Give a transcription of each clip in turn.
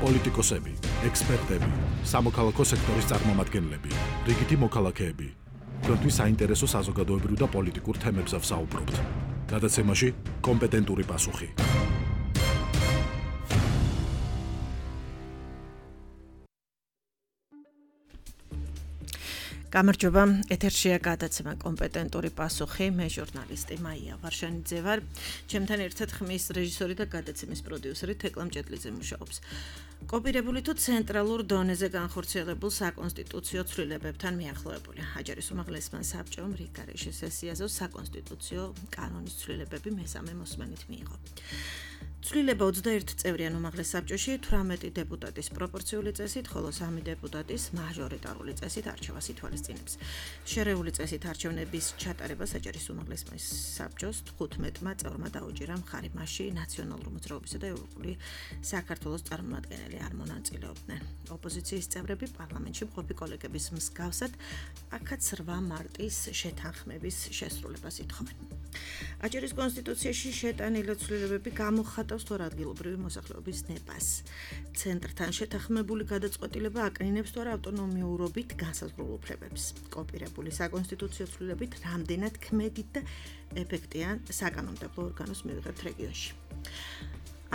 პოლიტიკოსები, ექსპერტები, სამოქალაქო სექტორის წარმომადგენლები, რიგითი მოქალაქეები. Თქვენთვის საინტერესო საზოგადოებრივ და პოლიტიკურ თემებზე ვსაუბრობთ. გადაცემაში კომპეტენტური პასუხი. გამარჯობა, ეთერშია გადაცემა კომპეტენტური პასუხი, მე ჟურნალისტი მაია ვარშანიძე ვარ. ჩემთან ერთად ხმის რეჟისორი და გადაცემის პროდიუსერი თეკლა მჭედლიძე მუშაობს. კოპირებული თუ ცენტრალურ დონეზე განხორციელებულ საკონსტიტუციო ცვლილებებთან მიახლოებული. აჯარის უმაღლესმა საბჭომ რიგგარეშე სესიაზე საკონსტიტუციო კანონის ცვლილებები მესამე მოსმენით მიიღო. ცვლილება 21 წევრიან უმაღლეს საბჭოში 18 დეპუტატის პროპორციული წესით, ხოლო 3 დეპუტატის მაჟორიტარული წესით არჩევას ითვალისწინებს. შერეული წესით არჩევნების ჩატარებას აჯარის უმაღლესმა საბჭოს 15-მა წევრმა დაუჭირა მხარი მასში ნაციონალური მოძრაობისა და ევროპული საქართველოს წარმომადგენელი არ მონაწილეობდნენ. ოპოზიციის წევრები პარლამენტში მყოფი კოლეგების მსგავსად აქაც 8 მარტის შეთანხმების შესრულებას ითხოვენ. აჯარის კონსტიტუციაში შეტანილი ცვლილებები გამოხატავს თორ ადგილობრივი მოსახლეობის ნებას. ცენტრთან შეთანხმებული გადაწყვეტილება აკნინებს თორ ავტონომიურობით განსაზღვრულ უფლებებს. კოპირებული საკონსტიტუციო ცვლილებით რამდენად ქმედით და ეფექტიან საკანონმდებლო ორგანოს მივიღებთ რეგიონში.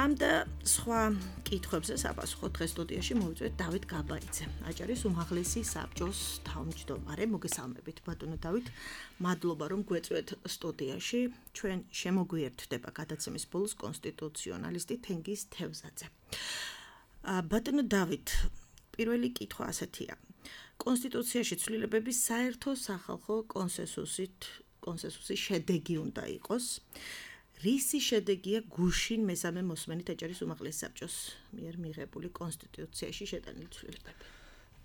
ამ და სხვა კითხვებზე საპასუხო დღეს სტუდიაში მოვიწვევთ დავით გაბაიძე, აჯარის უმაღლესი საბჭოს თავმჯდომარე. მოგესალმებით ბატონო დავით, მადლობა რომ გვეწვეთ სტუდიაში. ჩვენ შემოგვიერთდება გადაცემის ბოლოს კონსტიტუციონალისტი თენგიზ თევზაძე. ბატონო დავით, პირველი კითხვა ასეთია. კონსტიტუციაში ცვლილებები საერთო სახალხო კონსენსუსის შედეგი უნდა იყოს. რისი შედეგია გუშინ მესამე მოსმენით აჯარის უმაღლეს საბჭოს მიერ მიღებული კონსტიტუციაში შეტანილი ცვლილებები?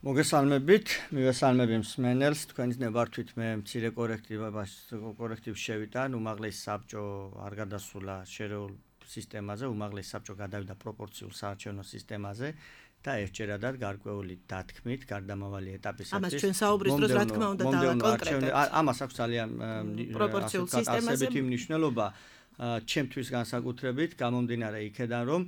მოგესალმებით, მივესალმები მსმენელს, თქვენით ნებართვით მე მცირე კორექტივს შევიდა, უმაღლეს საბჭო არ გადასულა შერეულ სისტემაზე, უმაღლეს საბჭო გადავიდა პროპორციულ საარჩევნო სისტემაზე და ერთჯერადად გარკვეული დათქმით, გარდამავალი ეტაპისათვის. ამას ჩვენ საუბრის დროს რა თქმა უნდა დავაკონკრეტებთ. ამას აქვს ძალიან პროპორციულ სისტემაზე მნიშვნელობა. ჩემთვის განსაკუთრებით გამომდინარე იქედან რომ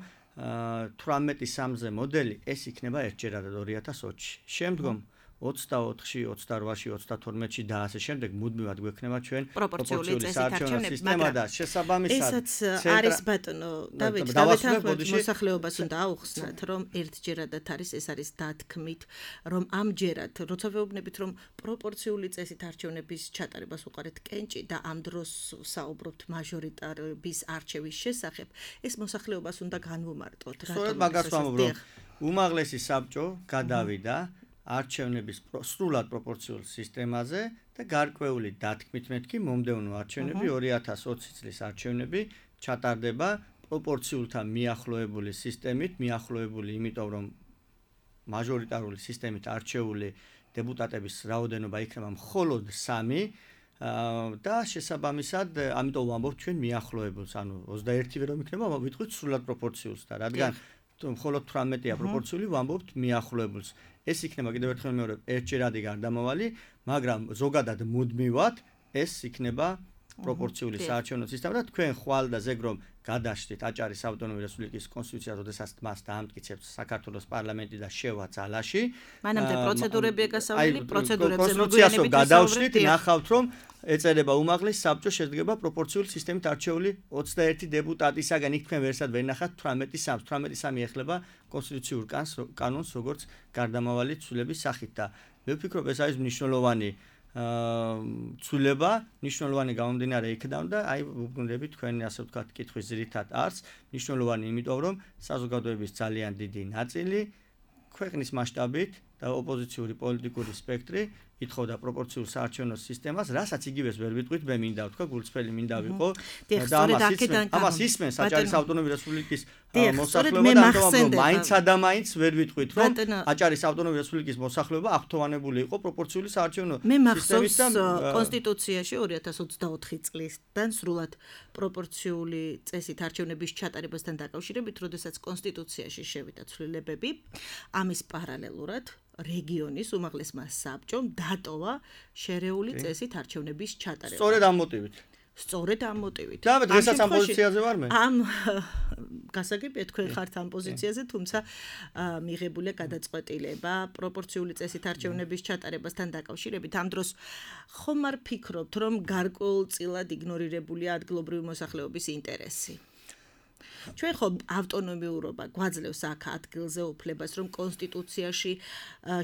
18-3-ზე მოდელი ეს იქნება ერთჯერადად 2020-ში. შემდგომ 24-ში, 28-ში, 32-ში და ასე შემდეგ მუდმივად გვექნება ჩვენ პროპორციული საარჩევნო სისტემა და შესაბამისად ესაც არის ბატონო დავით დავეთანხმებით მოსახლეობას უნდა აუხსნათ რომ ერთჯერადად ეს არის დათქმით რომ ამჯერად როცა ვეუბნებით რომ პროპორციული წესით არჩევნების ჩატარებას უყარეთ კენჭი და ამ დროს საუბრობთ მაჟორიტარობის არჩევის შესახებ ეს მოსახლეობას უნდა განვუმარტოთ. სწორედ მაგას ვამბობ რომ უმაღლესი საბჭო გადავიდა არჩევნების სრულად პროპორციულ სისტემაზე და გარკვეული დათქმით მეთქი მომდევნო არჩევნები 2020 წლის არჩევნები ჩატარდება პროპორციულთან მიახლოებული სისტემით, მიახლოებული იმიტომ რომ მაჟორიტარული სისტემით არჩეული დეპუტატების რაოდენობა იქნება მხოლოდ 3 და შესაბამისად ამიტომ ვამბობთ ჩვენ მიახლოებულს, ანუ 21 ვერ იქნება, ვიტყვით სრულად პროპორციულს და რადგან მხოლოდ 18-ია პროპორციული, ვამბობთ მიახლოებულს. ეს იქნება კიდევ ერთხელ მეორე ერთჯერადი გარდამავალი, მაგრამ ზოგადად მუდმივად ეს იქნება პროპორციული საარჩევნო სისტემა და თქვენ ხვალ და ზეგ რომ გადაშდით აჭარის ავტონომიური რესპუბლიკის კონსტიტუციას, როდესაც მას დაამტკიცებს საქართველოს პარლამენტი და შევა ძალაში. მანამდე პროცედურებია გასავლელი, პროცედურებზე მოგვიანებით გადავშლით, ნახავთ რომ ეწერება უმაღლეს საბჭო შედგება პროპორციული სისტემით არჩეული 21 დეპუტატისაგან, იქ თქვენ ვერსად ვერ ნახავთ 18-3 ეხლება კონსტიტუციურ კანონს, როგორც გარდამავალი ცვლილების სახით და მე ვფიქრობ ეს არის მნიშვნელოვანი ცვლილება, მნიშვნელოვანი გამომდინარე იქიდან და აი ვუბრუნდებით თქვენი ასე ვთქვათ კითხვის ძირითად არს, მნიშვნელოვანი იმიტომ რომ საზოგადოების ძალიან დიდი ნაწილი ქვეყნის მასშტაბით და ოპოზიციური პოლიტიკური სპექტრი ითხოვდა პროპორციულ საარჩევნო სისტემას, რასაც იგივეს ვერ ვიტყვით, მე მინდა ვთქვა, გულწრფელი მინდა ვიყო და ამას ისმენს აჭარის ავტონომიური რესპუბლიკის მოსახლეობა და ამიტომ მაინც და მაინც ვერ ვიტყვით, რომ აჭარის ავტონომიური რესპუბლიკის მოსახლეობა აღფრთოვანებული იყო პროპორციული საარჩევნო სისტემით და კონსტიტუციაში 2024 წლიდან სრულად პროპორციული წესით არჩევნების ჩატარებასთან დაკავშირებით, როდესაც კონსტიტუციაში შევიდა ცვლილებები, ამის პარალელურად რეგიონის უმაღლესმა საბჭომ დატოვა შერეული წესით არჩევნების ჩატარება. სწორედ ამ მოტივით. სწორედ ამ მოტივით. და დღესაც ამ პოზიციაზე ვარ მე. ამ გასაგებია თქვენ ხართ ამ პოზიციაზე, თუმცა მიღებულია გადაწყვეტილება პროპორციული წესით არჩევნების ჩატარებასთან დაკავშირებით. ამ დროს ხომ არ ფიქრობთ, რომ გარკვეულწილად იგნორირებულია ადგილობრივი მოსახლეობის ინტერესი? ჩვენ ხო ავტონომიურობა გვაძლევს აქ ადგილზე უფლებას, რომ კონსტიტუციაში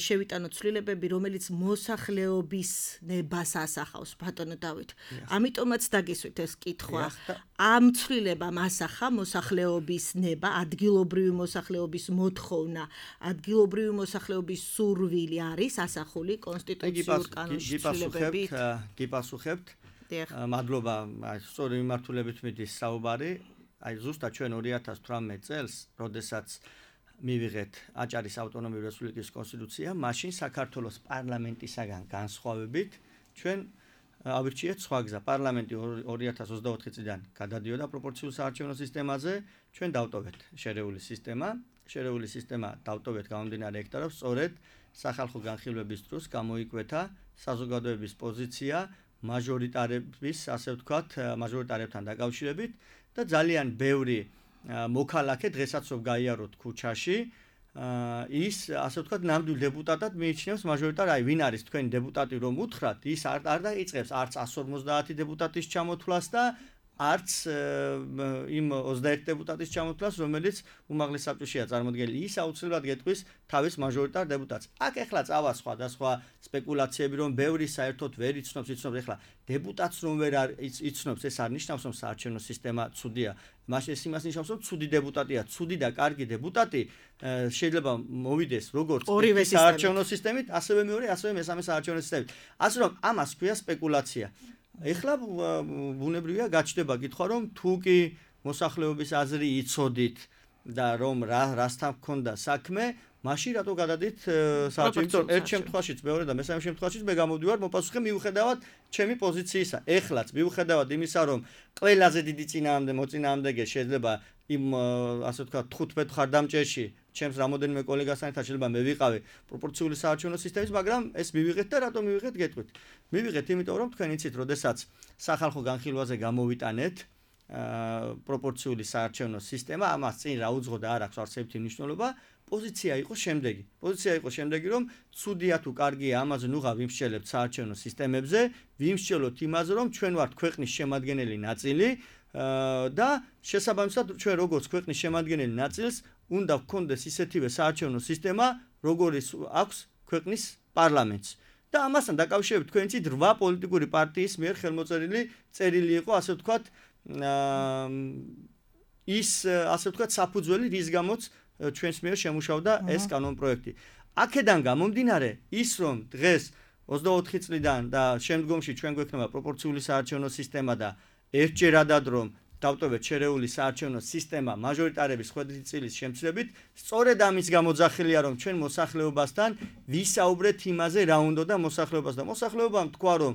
შევიტანოთ ცვლილებები, რომელიც მოსახლეობის ნებას ასახავს, ბატონო დავით. ამიტომაც დაგისვით ეს კითხვა. ამ ცვლილებამ ასახა მოსახლეობის ნება, ადგილობრივი მოსახლეობის მოთხოვნა, ადგილობრივი მოსახლეობის სურვილი არის ასახული კონსტიტუციურ კანონში ცვლილებებით. გიპასუხებთ. მადლობა, სწორი მიმართულებით მიდის საუბარი. აი ზუსტად ჩვენ 2018 წელს, როდესაც მივიღეთ აჭარის ავტონომიური რესპუბლიკის კონსტიტუცია, მაშინ საქართველოს პარლამენტისაგან განსხვავებით ჩვენ ავირჩიეთ სხვა გზა. პარლამენტი 2024 წლიდან გადადიოდა პროპორციულ საარჩევნო სისტემაზე, ჩვენ დავტოვეთ შერეული სისტემა. შერეული სისტემა დავტოვეთ გამომდინარე იქიდან, რომ სწორედ სახალხო განხილვების დროს გამოიკვეთა საზოგადოების პოზიცია მაჟორიტარების, ასე ვთქვათ, მაჟორიტარებთან დაკავშირებით. და ძალიან ბევრი მოქალაქე დღესაც რომ გაიაროთ ქუჩაში ის ასე ვთქვათ ნამდვილ დეპუტატად მიიჩნევს მაჟორიტარ აი ვინ არის თქვენი დეპუტატი რომ უთხრათ ის არ დაიწყებს არც 150 დეპუტატის ჩამოთვლას და არც იმ 21 დეპუტატის ჩამოთვლას რომელიც უმაღლეს საბჭოშია წარმოდგენილი ის აუცილებლად გეტყვის თავის მაჟორიტარ დეპუტატს აქ ეხლა წავა სხვა სპეკულაციები რომ ბევრი საერთოდ ვერ იცნობს ეხლა დეპუტატს რომ ვერ იცნობს ეს არ ნიშნავს რომ საარჩევნო სისტემა ცუდია მაშინ ეს იმას ნიშნავს რომ ცუდი დეპუტატია ცუდი და კარგი დეპუტატი შეიძლება მოვიდეს როგორც საარჩევნო სისტემით ასევე მეორე ასევე მესამე საარჩევნო სისტემით ასე რომ ამას ქვია სპეკულაცია ეხლა ბუნებრივია გაჩნდება კითხვა რომ თუ კი მოსახლეობის აზრი იცოდით და რომ რასთან გქონდა საქმე მაშინ რატო გადადით საარჩევნო ერთ შემთხვევაშიც მეორე და მესამე შემთხვევაშიც მე გამოვდივარ მოპასუხე მიუხედავად ჩემი პოზიციისა ეხლაც მიუხედავად იმისა რომ ყველაზე დიდი მოწინააღმდეგე შეიძლება იმ ასე ვთქვათ 15 ხარდამჭერში ჩემს რამოდენიმე კოლეგასთან ერთად შეიძლება მე ვიყავი პროპორციული საარჩევნო სისტემის მაგრამ ეს მივიღეთ და რატომ მივიღეთ გეტყვით მივიღეთ იმიტომ რომ თქვენ იცით როდესაც სახალხო განხილვაზე გამოვიტანეთ პროპორციული საარჩევნო სისტემა ამას წინ რა უძღო და არ აქვს არსებითი მნიშვნელობა პოზიცია იყო შემდეგი რომ ცუდია თუ კარგია ამაზე ნუღა ვიმსჯელებთ საარჩევნო სისტემებზე ვიმსჯელოთ იმაზე რომ ჩვენ ვართ ქვეყნის შემადგენელი ნაწილი და შესაბამისად ჩვენ როგორც ქვეყნის შემადგენელი ნაწილს უნდა გქონდეს ისეთივე საარჩევნო სისტემა როგორიც აქვს ქვეყნის პარლამენტს და ამასთან დაკავშირებით თქვენ იცით 8 პოლიტიკური პარტიის მიერ ხელმოწერილი წერილი იყო ასე ვთქვათ ის ასე ვთქვათ საფუძველი რის გამოც ჩვენს მიერ შემუშავდა ეს კანონპროექტი. აქედან გამომდინარე ის რომ დღეს 24 წლიდან და შემდგომში ჩვენ გვექნება პროპორციული საარჩევნო სისტემა და ერთჯერადად რომ დავტოვეთ შერეული საარჩევნო სისტემა მაჟორიტარების ხვედრით წილის შემცირებით, სწორედ ამის გამოძახილია რომ ჩვენ მოსახლეობასთან ვისაუბრეთ იმაზე რა უნდა და მოსახლეობამ თქვა რომ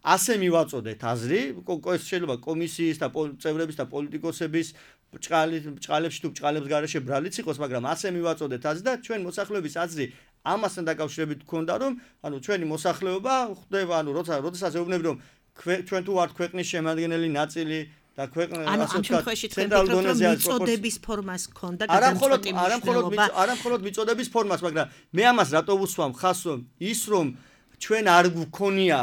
ასე მივაწოდეთ აზრი, შეიძლება კომისიის და წევრების და პოლიტიკოსების ბჭყალებში თუ ბჭყალებს გარეშე ბრალიც იყოს, მაგრამ ასე მივაწოდეთ აზრი და ჩვენ მოსახლეობის აზრი ამასთან დაკავშირებით გქონდა რომ ჩვენი მოსახლეობა ხდება როდესაც ეუბნები რომ ჩვენ თუ ვართ ქვეყნის შემადგენელი ნაწილი და ქვეყნის ამ შემთხვევაში თქვენ ფიქრობთ რომ მიწოდების ფორმას გქონდა გადამწყვეტი მნიშვნელობა არა მხოლოდ მიწოდების ფორმას მაგრამ მე ამას რატო ვუსვამ ხას რომ ის რომ ჩვენ არ გვქონია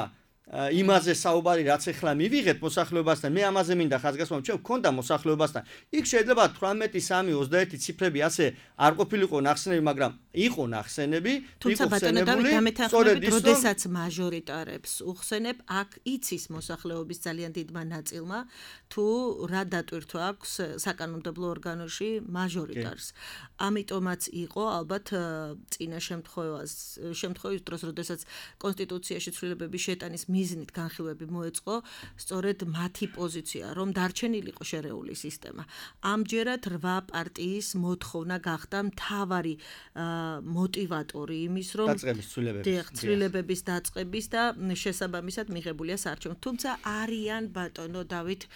იმაზე საუბარი რაც ახლა მივიღეთ მოსახლეობასთან მე ამაზე მინდა ხაზგასმა ჩვენ გქონდა მოსახლეობასთან იქ შეიძლება 18 3 21 ციფრები ასე არ ყოფილიყო ნახსენები მაგრამ იყო ნახსენები თუმცა ბატონო დავით დამეთანხმებით როდესაც მაჟორიტარებს უხსენებ აქ იცის მოსახლეობის ძალიან დიდმა ნაწილმა თუ რა დატვირთვა აქვს საკანონმდებლო ორგანოში მაჟორიტარს ამიტომაც იყო ალბათ წინა შემთხვევის დროს როდესაც კონსტიტუციაში ცვლილებების შეტანის მიზნით განხილვები მოეწყო სწორედ მათი პოზიცია რომ დარჩენილიყო შერეული სისტემა ამჯერად 8 პარტიის მოთხოვნა გახდა მთავარი მოტივატორი იმის რომ ცვლილებების დაწყების და შესაბამისად მიღებულია საარჩევნო თუმცა არიან ბატონო დავით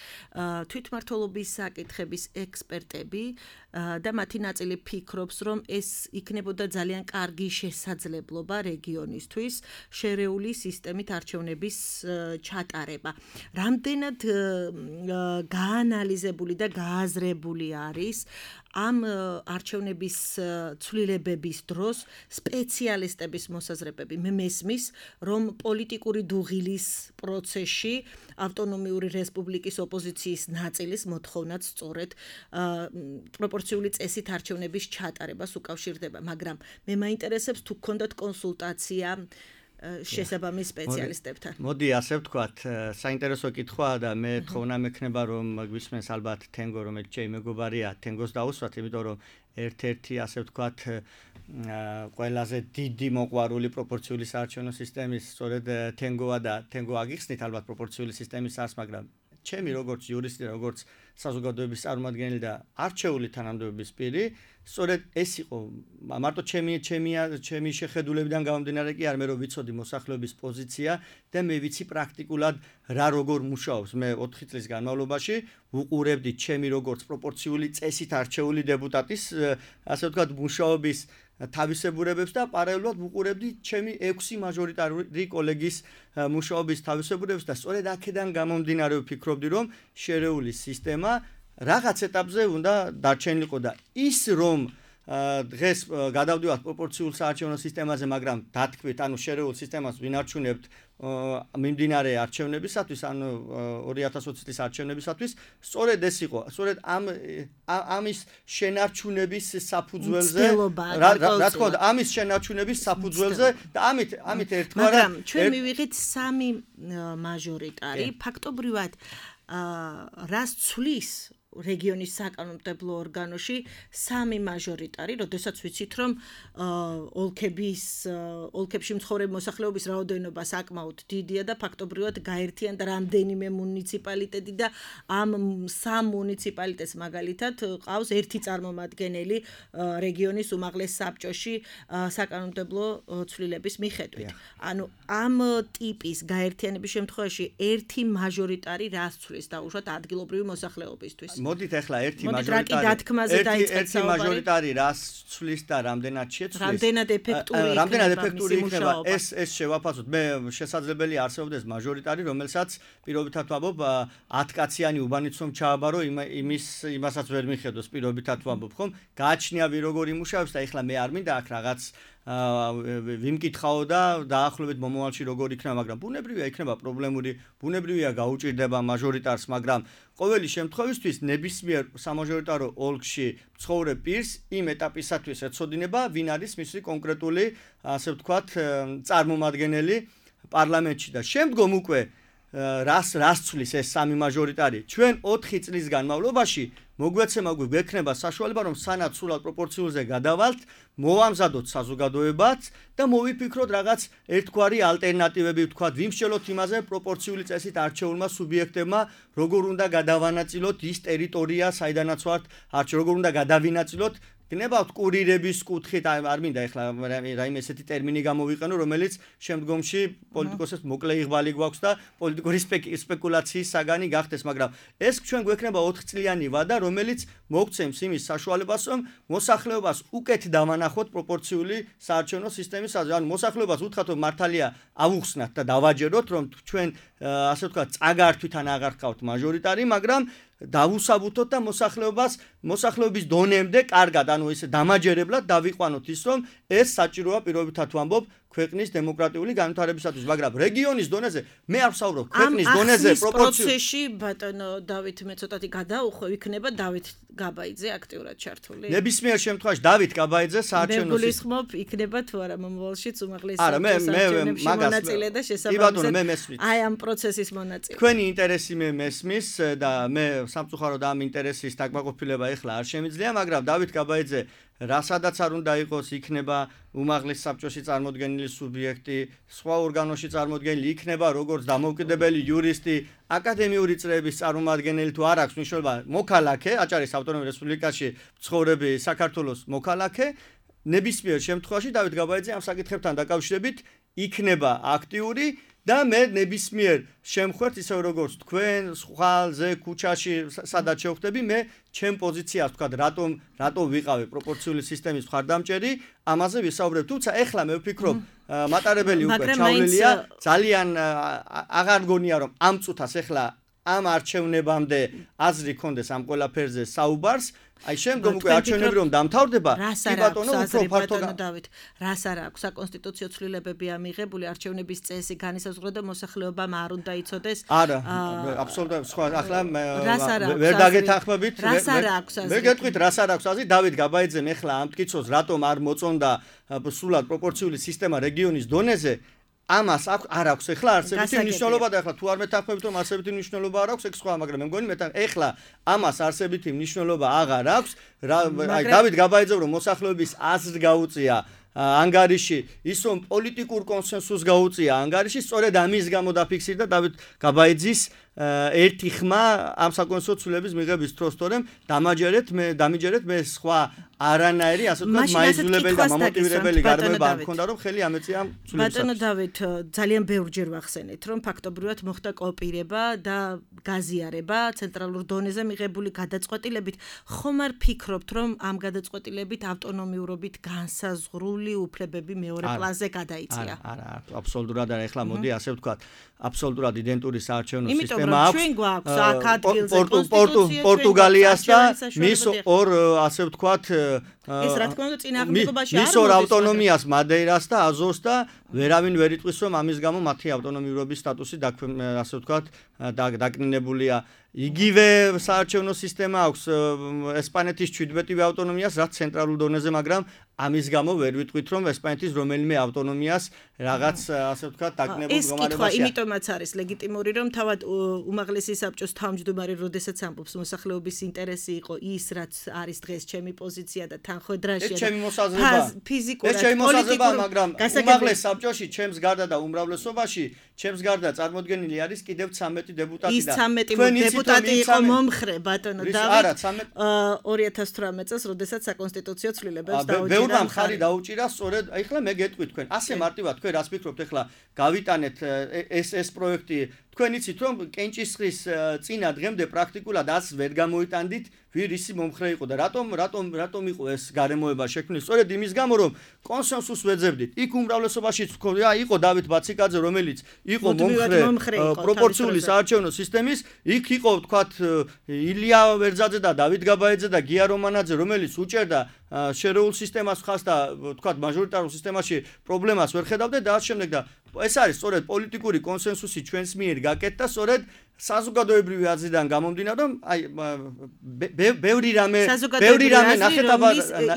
თვითმმართველობის საკითხების ექსპერტები და მათი ნაწილი ფიქრობს რომ ეს იქნებოდა ძალიან კარგი შესაძლებლობა რეგიონისთვის შერეული სისტემით არჩევნების არჩევნების ჩატარება. რამდენად გაანალიზებული და გააზრებული არის ამ არჩევნების ცვლილებების დროს სპეციალისტების მოსაზრებები. მე მესმის, რომ პოლიტიკური დუღილის პროცესში ავტონომიური რესპუბლიკის ოპოზიციის ნაწილის მოთხოვნაც სწორედ პროპორციული წესით არჩევნების ჩატარებას უკავშირდება, მაგრამ მე მაინტერესებს თუ გქონდათ კონსულტაცია შესაბამის სპეციალისტებთან. მოდი ასე ვთქვათ, საინტერესო კითხვაა და მე თხოვნა მექნება რომ გვისმენს ალბათ თენგო, რომელიც ჩემი მეგობარია, თენგოს დაუსვათ, იმიტომ რომ ერთ-ერთი ასე ვთქვათ ყველაზე დიდი მოყვარული პროპორციული საარჩევნო სისტემის სწორედ თენგოა და თენგო აგიხსნით ალბათ პროპორციული სისტემის არს, მაგრამ ჩემი როგორც იურისტი, როგორც საზოგადოების წარმომადგენელი და არჩეული თანამდებობის პირი, სწორედ ეს იყო მარტო ჩემი შეხედულებიდან გამომდინარე კი არ მე რომ ვიცოდი მოსახლეობის პოზიცია და მე ვიცი პრაქტიკულად რა როგორ მუშაობს. მე 4 წლის განმავლობაში ვუყურებდი ჩემი როგორც პროპორციული წესით არჩეული დეპუტატის ასე ვთქვათ მუშაობის თავისებურებებს და პარალელურად ვუყურებდი ჩემი 6 მაჟორიტარული კოლეგის მუშაობის თავისებურებებს და სწორედ აქედან გამომდინარე ვფიქრობდი რომ შერეული სისტემა რაღაც ეტაპზე უნდა დარჩენილიყო და ის რომ დღეს გადავდივართ პროპორციულ საარჩევნო სისტემაზე, მაგრამ დათქვით, ანუ შერეულ სისტემას ვინარჩუნებთ მიმდინარე არჩევნებისათვის, ანუ 2020 წლის არჩევნებისათვის, სწორედ ეს იყო, სწორედ ამის შენარჩუნების საფუძველზე, რა თქმა უნდა, ამის შენარჩუნების საფუძველზე და ამით ერთგვარად მაგრამ ჩვენ მივიღეთ 3 მაჟორიტარი, ფაქტობრივად რას ცვლის რეგიონის საკანონმდებლო ორგანოში 3 მაჟორიტარი, როდესაც ვიცით რომ ოლქებში მცხოვრებ მოსახლეობის რაოდენობა საკმაოდ დიდია და ფაქტობრივად გაერთიანდა რამდენიმე მუნიციპალიტეტი და ამ 3 მუნიციპალიტეტს მაგალითად ყავს ერთი წარმომადგენელი რეგიონის უმაღლეს საბჭოში საკანონმდებლო ცვლილების მიხედვით. ანუ ამ ტიპის გაერთიანების შემთხვევაში ერთი მაჟორიტარი რას ცვლის დაუშვათ ადგილობრივი მოსახლეობისთვის? მოდით ახლა ერთი მაჟორიტარი რას ცვლის და რამდენად შეცვლის? რამდენად ეფექტური იქნება ეს შევაფასოთ. მე შესაძლებელი არსებობდეს მაჟორიტარი, რომელსაც პირობითად ვამბობ 10 კაციანი უბანიც რომ ჩააბარო, იმასაც ვერ მიხედოს პირობითად ვამბობ, ხომ? გააჩნია ვი როგორ იმუშავებს და ახლა მე არ მინდა აქ რაღაც ვიმკითხაო და დაახლოებით მომავალში როგორ იქნება, მაგრამ ბუნებრივია იქნება პრობლემური, ბუნებრივია გაუჭირდება მაჟორიტარს, მაგრამ ყოველი შემთხვევისთვის ნებისმიერ სამაჟორიტარო ოლქში მცხოვრებ პირს იმ ეტაპისათვის ეცოდინება, ვინ არის მისი კონკრეტული, ასე ვთქვათ, წარმომადგენელი პარლამენტში და შემდგომ უკვე რას ცვლის ეს 3 მაჟორიტარი. ჩვენ 4 წლის განმავლობაში მოგვეცემა გვექნება საშუალება რომ სანად სულად პროპორციულზე გადავალთ, მოვამზადოთ საზოგადოებაც და მოვიფიქროთ რაღაც ერთგვარი ალტერნატივები, ვთქვათ, ვიმსჯელოთ იმაზე პროპორციული წესით არჩეულმა სუბიექტებმა როგორ უნდა გადავანაწილოთ ის ტერიტორია, საიდანაც ვართ არჩეულ, როგორ უნდა გადავინაწილოთ გნებავთ კურირების კუთხით, არ მინდა ახლა რაიმე ესეთი ტერმინი გამოვიყენო, რომელიც შემდგომში პოლიტიკოსებს მოკლე იღბალი გვაქვს და პოლიტიკური სპეკულაციის საგანი გახდეს, მაგრამ ეს ჩვენ გვექნება 4 წლიანი ვადა, რომელიც მოგცემს იმის საშუალებას, რომ მოსახლეობას უკეთ დავანახოთ პროპორციული საარჩევნო სისტემის აზრით. ანუ მოსახლეობას უთხრათ, რომ მართალია ავუხსნათ და დავაჯეროთ, რომ ჩვენ ასე ვთქვათ, წაგართვით ან აღარ ხავთ მაჟორიტარი, მაგრამ დავუსაბუთოთ და მოსახლეობის დონემდე კარგად, ანუ ესე დამაჯერებლად დავიყვანოთ ის, რომ ეს საჭიროა პირობითად ვამბობ ქვეყნის დემოკრატიული განვითარებისათვის, მაგრამ რეგიონის დონეზე მე არ ვსაუბრობ ქვეყნის დონეზე პროპორციული პროცესში ბატონო დავით მე ცოტათი გადაუხვევ, იქნება დავით გაბაიძე აქტიურად ჩართული. ნებისმიერ შემთხვევაში დავით გაბაიძე საარჩევნო მე გულისხმობ იქნება თუ არა მომავალშიც უმაღლესი საარჩევნებში მონაწილე და შესაბამისად აი ამ პროცესის მონაწილე. თქვენი ინტერესი მე მესმის და მე სამწუხაროდ ამ ინტერესის დაკმაყოფილება ეხლა არ შემიძლია, მაგრამ დავით გაბაიძე რასადაც არ უნდა იყოს, იქნება უმაღლეს საბჭოში წარმოდგენილი სუბიექტი, სხვა ორგანოში წარმოდგენილი, იქნება როგორც დამოუკიდებელი იურისტი, აკადემიური წრეების წარმომადგენელი თუ არ აქვს მნიშვნელობა, მოქალაქე, აჭარის ავტონომიურ რესპუბლიკაში მცხოვრები საქართველოს მოქალაქე, ნებისმიერ შემთხვევაში დავით გაბაიძე ამ საკითხებთან დაკავშირებით იქნება აქტიური და მე ნებისმიერ შემხვერთ ისე როგორც თქვენ ხვალზე ქუჩაში სადაც შევხვდები მე ჩემ პოზიციას ვთქვა რატომ ვიყავი პროპორციული სისტემის მხარდამჭერი ამაზე ვისაუბრებ თუმცა ეხლა მე ვფიქრობ მატარებელი უკვე ჩავლილია ძალიან აღარ მგონია რომ ამ წუთას ეხლა ამ არჩევნებამდე აზრი კონდეს ამ ყველაფერზე საუბარს აი შემდგომ უკვე არჩევნები რომ დამთავრდება კი ბატონო უფრო ფართო დავით რას არ აქვს საკონსტიტუციო ცვლილებებია მიღებული არჩევნების წესი განისაზღვრა და მოსახლეობამ არ უნდა იცოდეს არა აბსოლუტურად სხვა ახლა ვერ დაგეთანხმებით მე გეტყვით რას არ აქვს აზრი დავით გაბაიძემ ეხლა ამ მტკიცოს რატომ არ მოწონდა სრულად პროპორციული სისტემა რეგიონის დონეზე ამას არ აქვს ეხლა არსებითი მნიშვნელობა და ეხლა თუ არ მეთანხმებით რომ არსებითი მნიშვნელობა არ აქვს ეგ სხვა მაგრამ მე მგონი ეხლა ამას არსებითი მნიშვნელობა აღარ აქვს აი დავით გაბაიძემ რომ მოსახლეობის აზრს გაუწია ანგარიში ის რომ პოლიტიკურ კონსენსუსს გაუწია ანგარიში სწორედ ამის გამო დაფიქსირდა დავით გაბაიძის ერთი ხმა ამ საკონსტიტუციო ცვლილების მიღების დროს თორემ დამიჯერეთ მე სხვა არანაირი ასე ვთქვათ მაიზულებელი და მომოტივირებელი გარემოება არ მქონდა რომ ხელი ამეწია ამ ცვლილებას ბატონო დავით ძალიან ბევრჯერ ვახსენეთ რომ ფაქტობრივად მოხდა კოპირება და გაზიარება ცენტრალურ დონეზე მიღებული გადაწყვეტილებით ხომ არ ფიქრობთ რომ ამ გადაწყვეტილებით ავტონომიურობით განსაზღვრული უფლებები მეორე პლანზე გადაიწია არა აბსოლუტურად არა ეხლა მოდი ასე ვთქვათ აბსოლუტურად იდენტური საარჩევნო სისტემა აქვს პორტუგალიას და მის ორ ასე ვთქვათ ეს რა თქმა უნდა წინააღმდეგობაში არ მის ორ ავტონომიას მადეირას და აზოს და ვერავინ ვერ იტყვის რომ ამის გამო მათი ავტონომიურობის სტატუსი ასე ვთქვათ დაკნინებულია იგივე საარჩევნო სისტემა აქვს ესპანეთის 17-ვე ავტონომიას რაც ცენტრალურ დონეზე მაგრამ ამის გამო ვერ ვიტყვით რომ ესპანეთის რომელიმე ავტონომიას რაღაც ასე ვთქვათ დაკნინებულ მდგომარეობაშია ეს კითხვა იმიტომაც არის ლეგიტიმური რომ თავად უმაღლესი საბჭოს თავმჯდომარე როდესაც ამბობს მოსახლეობის ინტერესი იყო ის რაც არის დღეს ჩემი პოზიცია და თანხმედრაშია ეს ჩემი მოსაზრება ფიზიკურად ეს ჩემი მოსაზრება მაგრამ უმაღლეს საბჭოში ჩემს გარდა და უმრავლესობაში ჩემს გარდა წარმოდგენილი არის კიდევ 13 დეპუტატი და 13 დეპუტატი იყო მომხრე ბატონო დავით 2018 წელს როდესაც საკონსტიტუციო ცვლილებებს დაუჭირა ბევრმა მხარი დაუჭირა სწორედ ეხლა მე გეტყვით თქვენ ასე მარტივად თქვენ რას ფიქრობთ ეხლა გავიტანეთ ეს პროექტი თქვენ იცით რომ კენჭისყრის წინა დღემდე პრაქტიკულად ას ვერ გამოიტანდით ვინ ისი მომხრე იყო და რატომ იყო ეს გარემოება შექმნილი სწორედ იმის გამო რომ კონსენსუსს ვეძებდით იქ უმრავლესობაში იყო დავით ბაციკაძე რომელიც იყო მომხრე პროპორციული საარჩევნო სისტემის იქ იყო ვთქვათ ილია ვერძაძე და დავით გაბაიძე და გია რომანაძე რომელიც უჭერდა შერეულ სისტემას ხას და ვთქვათ მაჟორიტარულ სისტემაში პრობლემას ვერ ხედავდა და ამ შემდეგ და ეს არის სწორედ პოლიტიკური კონსენსუსი ჩვენს მიერ გაკეთდა სწორედ საზოგადოებრივი აზრიდან გამომდინარე რომ აი ბევრი რამე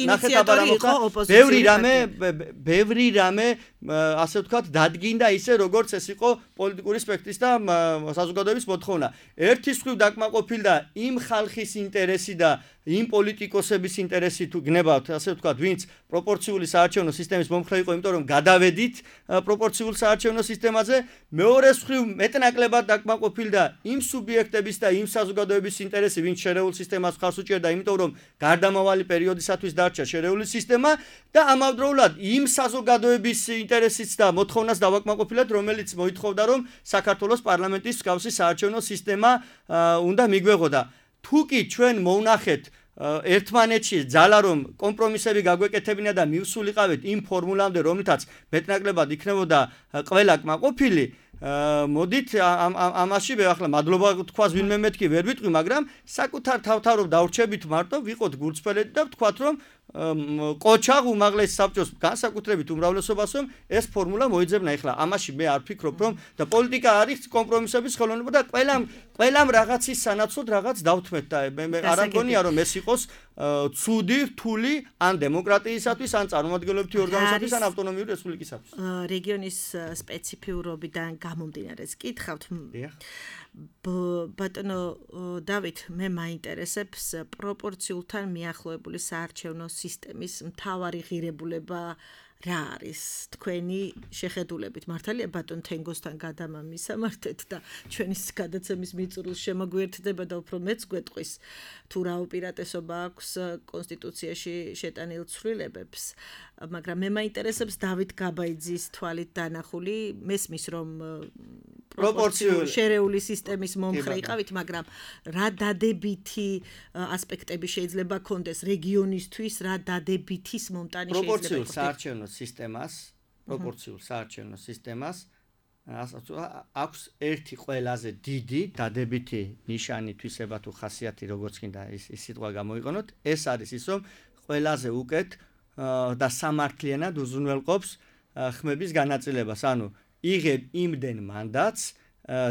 ნახეთაბარ მოხდა ბევრი რამე ასე ვთქვათ დადგინდა ისე როგორც ეს იყო პოლიტიკური სპექტრის და საზოგადოების მოთხოვნა ერთის მხრივ დაკმაყოფილდა იმ ხალხის ინტერესი და იმ პოლიტიკოსების ინტერესი თუ გნებავთ ასე ვთქვათ ვინც პროპორციული საარჩევნო სისტემის მომხრე იყო იმიტომ რომ გადავედით პროპორციულ საარჩევნო სისტემაზე მეორეს მხრივ მეტნაკლებად დაკმაყოფილდა იმ სუბიექტების და იმ საზოგადოების ინტერესი ვინც შერეულ სისტემას ხარს უჭერდა იმიტომ რომ გარდამავალი პერიოდისათვის დარჩა შერეული სისტემა და ამავდროულად იმ საზოგადოების ინტერესიც და მოთხოვნას დავაკმაყოფილეთ რომელიც მოითხოვდა რომ საქართველოს პარლამენტის მსგავსი საარჩევნო სისტემა უნდა მიგვეღოდა თუ კი ჩვენ მოვნახეთ ერთმანეთში ძალა რომ კომპრომისები გაგვეკეთებინა და მივსულიყავით იმ ფორმულამდე რომლითაც მეტნაკლებად იქნებოდა ყველა კმაყოფილი მოდით ამაში მე ახლა მადლობა თქვას ვინმე მეთქი ვერ ვიტყვი მაგრამ საკუთარ თავთან რომ დავრჩებით მარტო ვიყოთ გულწრფელები და ვთქვათ რომ ყოჩაღ უმაღლეს საბჭოს განსაკუთრებით უმრავლესობას რომ ეს ფორმულა მოიძებნა ეხლა ამაში მე არ ფიქრობ რომ და პოლიტიკა არის კომპრომისების ხელოვნება და ყველამ რაღაცის სანაცვლოდ რაღაც დავთმეთ და მე არ ამგონია რომ ეს იყოს ცუდი რთული ან დემოკრატიისათვის ან წარმომადგენლობითი ორგანოსათვის ან ავტონომიური რესპუბლიკისათვის რეგიონის სპეციფიურობიდან გამომდინარე გითხავთ ბატონო დავით მე მაინტერესებს პროპორციულთან მიახლოებული საარჩევნო სისტემის მთავარი ღირებულება რა არის თქვენი შეხედულებით მართალია ბატონ თენგოსთან გადამამისამართეთ და ჩვენი გადაცემის მიწურულს შემოგვიერთდება და უფრო მეც გვეტყვის თუ რა უპირატესობა აქვს კონსტიტუციაში შეტანილ ცვლილებებს მაგრამ მე მაინტერესებს დავით გაბაიძის თვალით დანახული მესმის რომ პროპორციული შერეული სისტემის მომხრე იყავით მაგრამ რა დადებითი ასპექტები შეიძლება კონდეს რეგიონისთვის რა დადებითის მომტანი შეიძლება პროპორციულ საარჩევნო სისტემას აქვს ერთი ყველაზე დიდი დადებითი ნიშანი თვისება თუ ხასიათი როგორც კიდე ის სიტყვა გამოიყენოთ ეს არის ის რომ ყველაზე უკეთ და სამართლიანად უზრუნველყოფს ხმების განაწილებას ანუ იღებ იმდენ მანდატს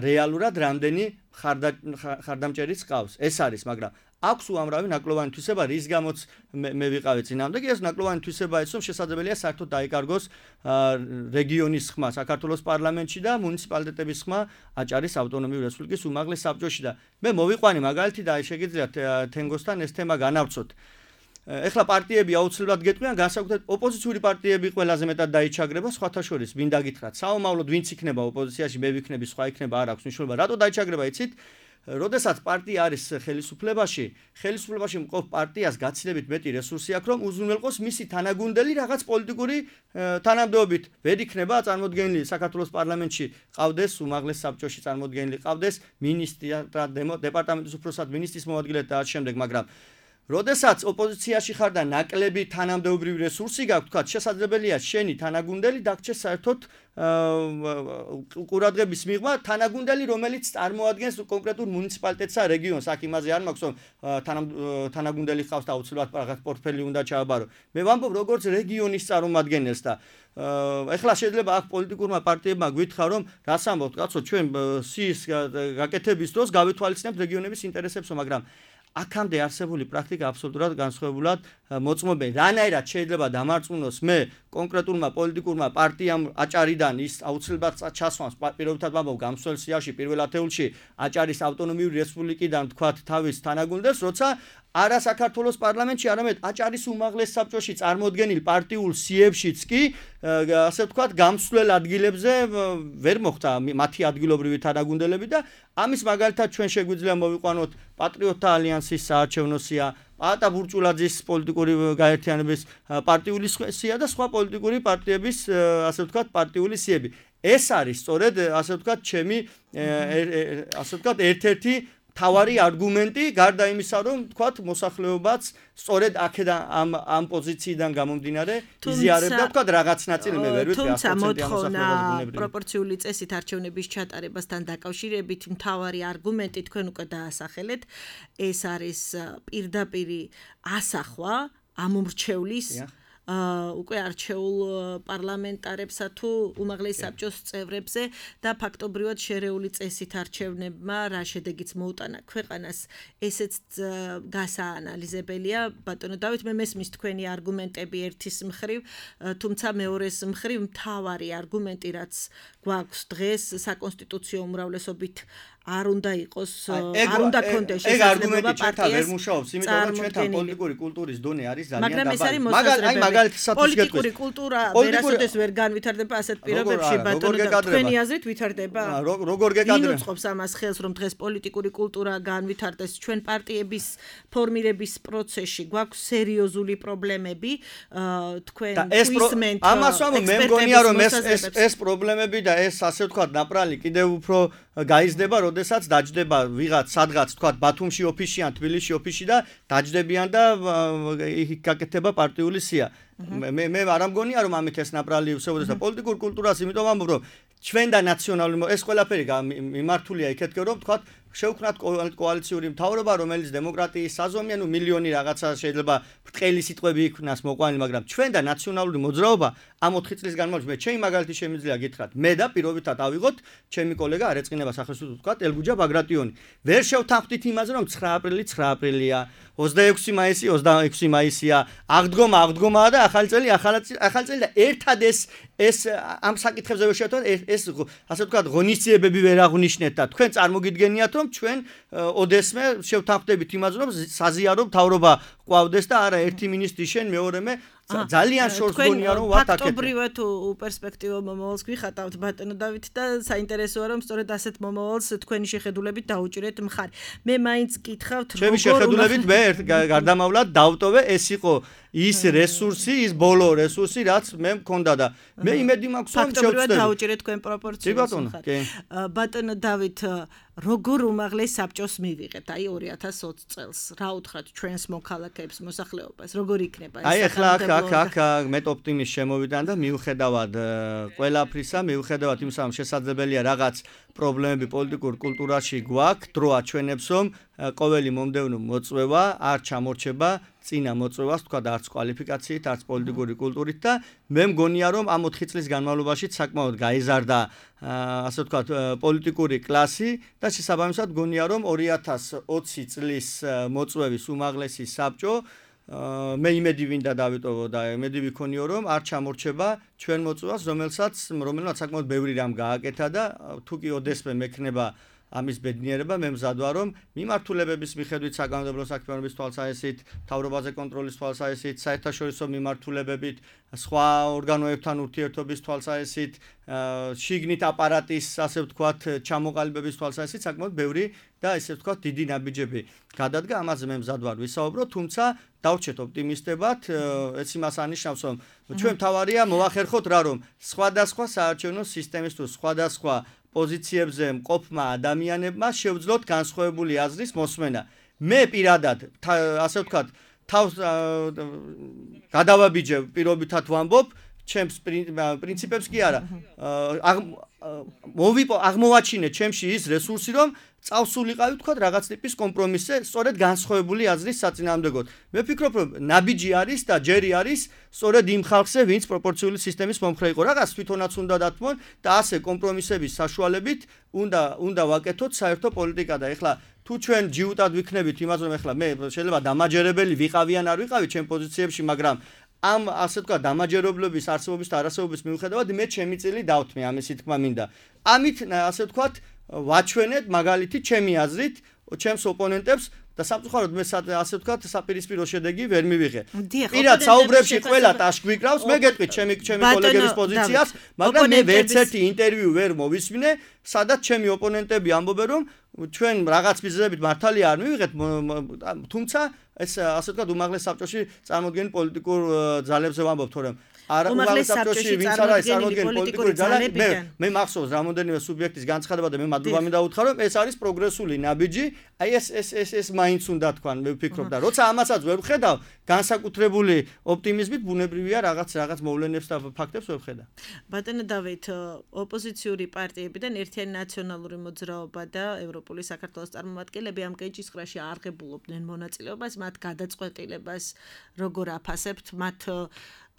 რეალურად რამდენი ხარდამჭერიც ყავს ეს არის მაგრამ აქვს უამრავი ნაკლოვანი თვისება რის გამოც მე ვიყავი წინამდე ეს ნაკლოვანი თვისება ის რომ შესაძლებელია საერთოდ დაიკარგოს რეგიონის ხმა საქართველოს პარლამენტში და მუნიციპალიტეტების ხმა აჭარის ავტონომიური რესპუბლიკის უმაღლეს საბჭოში და მე მოვიყვანი მაგალითი და შეგიძლიათ თენგოსთან ეს თემა განავწოთ ეხლა პარტიები აუცილებლად გეტყვიან განსაკუთრებით ოპოზიციური პარტიები ყველაზე მეტად დაიჩაგრება სხვათა შორის ვინ დაგითხრათ საომავლოდ ვინც იქნება ოპოზიციაში მე ვიქნები სხვა იქნება არ აქვს მნიშვნელობა რატო დაიჩაგრება იცით როდესაც პარტია არის ხელისუფლებაში მყოფ პარტიას გაცილებით მეტი რესურსი აქვს რომ უზრუნველყოს მისი თანაგუნდელი რაღაც პოლიტიკური თანამდებობით ვერ იქნება წარმოდგენილი საქართველოს პარლამენტში ყავდეს უმაღლეს საბჭოში წარმოდგენილი ყავდეს მინისტრი დეპარტამენტის უფროსად მინისტრის მოადგილე და ამ შემდეგ მაგრამ როდესაც ოპოზიციაში ხარ და ნაკლები თანამდებობრივი რესურსი გაქვს, თქვა შესაძლებელია შენი თანაგუნდელი დაგჭირდეს საერთოდ ყურადღების მიღმა თანაგუნდელი, რომელიც წარმოადგენს კონკრეტულ მუნიციპალიტეტსა რეგიონს, აქ იმაზე არ მაქვს, რომ თანაგუნდელი ხავს და აუცილებლად რაღაც პორტფელი უნდა ჩააბარო. მე ვამბობ როგორც რეგიონის წარმომადგენელს და ეხლა შეიძლება აქ პოლიტიკურმა პარტიებმა გვითხრა რომ რას ამბობთ, კაცო, ჩვენ სიის გაკეთების დროს გავითვალისწინებთ რეგიონების ინტერესებს, მაგრამ აქამდე არსებული პრაქტიკა აბსოლუტურად განსხვავებულად მოწმობენ. რანაირად შეიძლება დამარწმუნოს მე კონკრეტულმა პოლიტიკურმა პარტიამ აჭარიდან ის აუცილებლად ჩასვამს პირობითად ვამბობ გამსვლელ სიაში პირველ ათეულში აჭარის ავტონომიური რესპუბლიკიდან თქვათ თავის თანაგუნდელს, როცა არა საქართველოს პარლამენტში, არამედ აჭარის უმაღლეს საბჭოში წარმოდგენილ პარტიულ სიებშიც კი ასე ვთქვათ გამსვლელ ადგილებზე ვერ მოხდა მათი ადგილობრივი თანაგუნდელები და ამის მაგალითად ჩვენ შეგვიძლია მოვიყვანოთ პატრიოტთა ალიანსის საარჩევნო სია, პაატა ბურჭულაძის პოლიტიკური გაერთიანების პარტიული სია და სხვა პოლიტიკური პარტიების ასე ვთქვათ პარტიული სიები. ეს არის სწორედ ასე ვთქვათ ჩემი ასე ვთქვათ ერთ-ერთი თავარი არგუმენტი გარდა იმისა რომ თქვათ მოსახლეობაც სწორედ აქედან ამ პოზიციიდან გამომდინარე იზიარებდა თქვათ რაღაც ნაწილი მე ვერ ვიტყვი 100% მოსახლეობას პროპორციული წესით არჩევნების ჩატარებასთან დაკავშირებით მთავარი არგუმენტი თქვენ უკვე დაასახელეთ ეს არის პირდაპირი ასახვა ამომრჩევლის უკვე არჩეულ პარლამენტარებსა თუ უმაღლეს საბჭოს წევრებზე და ფაქტობრივად შერეული წესით არჩევნებმა რა შედეგიც მოუტანა ქვეყანას ესეც გასაანალიზებელია ბატონო დავით მე მესმის თქვენი არგუმენტები ერთის მხრივ თუმცა მეორეს მხრივ მთავარი არგუმენტი რაც გვაქვს დღეს საკონსტიტუციო უმრავლესობით არ უნდა იყოს არ უნდა კონდეს შესაძლებლობა პარტიას ვერ მუშაობს იმიტომ რომ ჩვენთან პოლიტიკური კულტურის დონე არის ძალიან დაბალი მაგალითად პოლიტიკური კულტურა ვერასოდეს ვერ განვითარდება ასეთ პირობებში ბატონო და თქვენი აზრით ვითარდება როგორ გეკადრება ვინ უწყობს ამას ხელს რომ დღეს პოლიტიკური კულტურა განვითარდეს ჩვენ პარტიების ფორმირების პროცესში გვაქვს სერიოზული პრობლემები თქვენ twistment ამას ვამბობ მე მგონია რომ ეს პრობლემები და ეს ასე ვთქვათ ნაპრალი კიდევ უფრო გაიზრდება როდესაც დაჯდება ვიღაც სადღაც თქვათ ბათუმში ოფისში ან თბილისში ოფისში და დაჯდებიან და გაკეთება პარტიული სია მე არ ამგონია რომ ამით ეს ნაპრალი უსწრებს და პოლიტიკურ კულტურას იმიტომ ვამბობ რომ ჩვენ და ნაციონალური ეს ყველაფერი მიმართულია იქეთკე რომ თქვათ შევქმნათ კოალიციური მთავრობა რომელიც დემოკრატიის საზომია ნუ მილიონი რაღაცა შეიძლება ბრტყელი სიტყვები იქნას მოყვანილი მაგრამ ჩვენ და ნაციონალური მოძრაობა ამ 4 წლის განმავლობაში მე ჩემი მაგალითი შემიძლია გითხრათ მე და პირობითად ავიღოთ ჩემი კოლეგა არ ეწყინება სახელმწიფო თქვათ ელგუჯა ბაგრატიონი ვერ შევთანხმდით იმაზე რომ 9 აპრილი 9 აპრილია 26 მაისი 26 მაისია აღდგომაა და ახალი წელი და ერთად ეს ამ საკითხებზე ვერ შევთანხმდით ეს ასე ვთქვათ ღონისძიებები ვერ აღნიშნეთ და თქვენ წარმოგიდგენიათ რომ ჩვენ ოდესმე შევთანხმდებით იმაზე რომ საზიარო მთავრობა ყვავდეს და არა ერთი მინისტრი შენ მეორე მე ძალიან შორს გონია რომ ვათაკეთე. ფაქტობრივად პერსპექტივა მომავალს გვიხატავთ ბატონო დავით და საინტერესოა რომ სწორედ ასეთ მომავალს თქვენი შეხედულებით დაუჭირეთ მხარი. მე მაინც გითხავთ ჩემი შეხედულებით მე გარდამავლად დავტოვე ეს იყო ის რესურსი, ის ბოლო რესურსი, რაც მე მქონდა და მე იმედი მაქვს რომ ფაქტობრივად დაუჭირეთ თქვენ პროპორციას. ბატონო დავით როგორ უმაღლეს საბჭოს მივიღეთ აი 2020 წელს რა უთხრათ ჩვენს მოქალაქეებს მოსახლეობას როგორ იქნება ეს აი ახლა აქ მეტ ოპტიმიზმს შემოვიდან და მიუხედავად ყველაფრისა მიუხედავად იმისა რომ შესაძლებელია რაღაც პრობლემები პოლიტიკურ კულტურაში გვაქვს დრო აჩვენებს რომ ყოველი მომდევნო მოწვევა არ ჩამორჩება წინა მოწვევას თქვა და არც კვალიფიკაციით არც პოლიტიკური კულტურით და მე მგონია რომ ამ 4 წლის განმავლობაში საკმაოდ გაიზარდა ასე ვთქვათ პოლიტიკური კლასი და შესაბამისად მგონია რომ 2020 წლის მოწვევის უმაღლესი საბჭო მე იმედი ვინდა დავიტოვო და იმედი ვიქონიო რომ არ ჩამორჩება ჩვენ მოწვევას რომელსაც საკმაოდ ბევრი რამ გააკეთა და თუ კი ოდესმე მექნება ამის ბედნიერება მე მზად ვარ რომ მიმართულებების მიხედვით საკანონმდებლო საქმიანობის თვალსაზრისით, თავრობაზე კონტროლის თვალსაზრისით, საერთაშორისო მიმართულებებით, სხვა ორგანოებთან ურთიერთობის თვალსაზრისით, შიგნით აპარატის ასე ვთქვათ ჩამოყალიბების თვალსაზრისით საკმაოდ ბევრი და ესე ვთქვათ დიდი ნაბიჯები გადადგა, ამაზე მე მზად ვარ ვისაუბრო, თუმცა დავრჩეთ ოპტიმისტებად, ეს იმას ანიშნავს რომ ჩვენ თავარია მოვახერხოთ რა რომ სხვადასხვა საარჩევნო სისტემის თუ სხვადასხვა პოზიციებზე მყოფმა ადამიანებმა შევძლოთ განსხვავებული აზრის მოსმენა. მე პირადად ასე ვთქვათ თავს გადავაბიჯე პირობითად ვამბობ ჩემს პრინციპებს კი არა აღმოვაჩინე ჩემში ის რესურსი რომ წავსულიყავი თქვა რაღაც ტიპის კომპრომისზე სწორედ განსხვავებული აზრის საწინააღმდეგოდ. მე ვფიქრობ რომ ნაბიჯი არის და ჯერი არის სწორედ იმ ხალხზე ვინც პროპორციული სისტემის მომხრე იყო. რაღაც თვითონაც უნდა დათმონ და ასე კომპრომისების საშუალებით უნდა ვაკეთოთ საერთო პოლიტიკა და ეხლა თუ ჩვენ ჯიუტად ვიქნებით იმას რომ ეხლა მე შეიძლება დამაჯერებელი ვიყავი ან არ ვიყავი ჩემ პოზიციებში მაგრამ ამ ასე ვთქვათ დამაჯერებლობის არსებობის და არასებობის მიუხედავად მე ჩემი წილი დავთმე ამისი თქმა მინდა. ამით ასე ვთქვათ ვაჩვენეთ მაგალითი ჩემი აზრით ჩემს ოპონენტებს და სამწუხაროდ მე ასე ვთქვათ საპირისპირო შედეგი ვერ მივიღე. პირად საუბრებში ყველა ტაშ გვიკრავს, მე გეტყვით ჩემი კოლეგების პოზიციას, მაგრამ მე ვერც ერთი ინტერვიუ ვერ მოვისმინე, სადაც ჩემი ოპონენტები ამბობენ რომ ჩვენ რაღაც მიზეზებით მართალია არ მივიღეთ, თუმცა ეს ასე ვთქვათ უმაღლეს საბჭოში წარმოდგენილ პოლიტიკურ ძალებზე ვამბობ, თორემ უმაღლეს საბჭოში ვინც არ არის წარმოდგენილი პოლიტიკური ძალები მე მახსოვს რამოდენიმე სუბიექტის განცხადება და მე მადლობა მინდა უთხრა რომ ეს არის პროგრესული ნაბიჯი აი ეს მაინც უნდა თქვან მე ვფიქრობ და როცა ამასაც ვერ ვხედავ განსაკუთრებული ოპტიმიზმით ბუნებრივია რაღაც მოვლენებს და ფაქტებს ვერ ვხედავ. ბატონო დავით ოპოზიციური პარტიებიდან ერთიანი ნაციონალური მოძრაობა და ევროპული საქართველოს წარმომადგენლები ამ კენჭისყრაში არღებულობდნენ მონაწილეობას მათ გადაწყვეტილებას როგორ აფასებთ მათ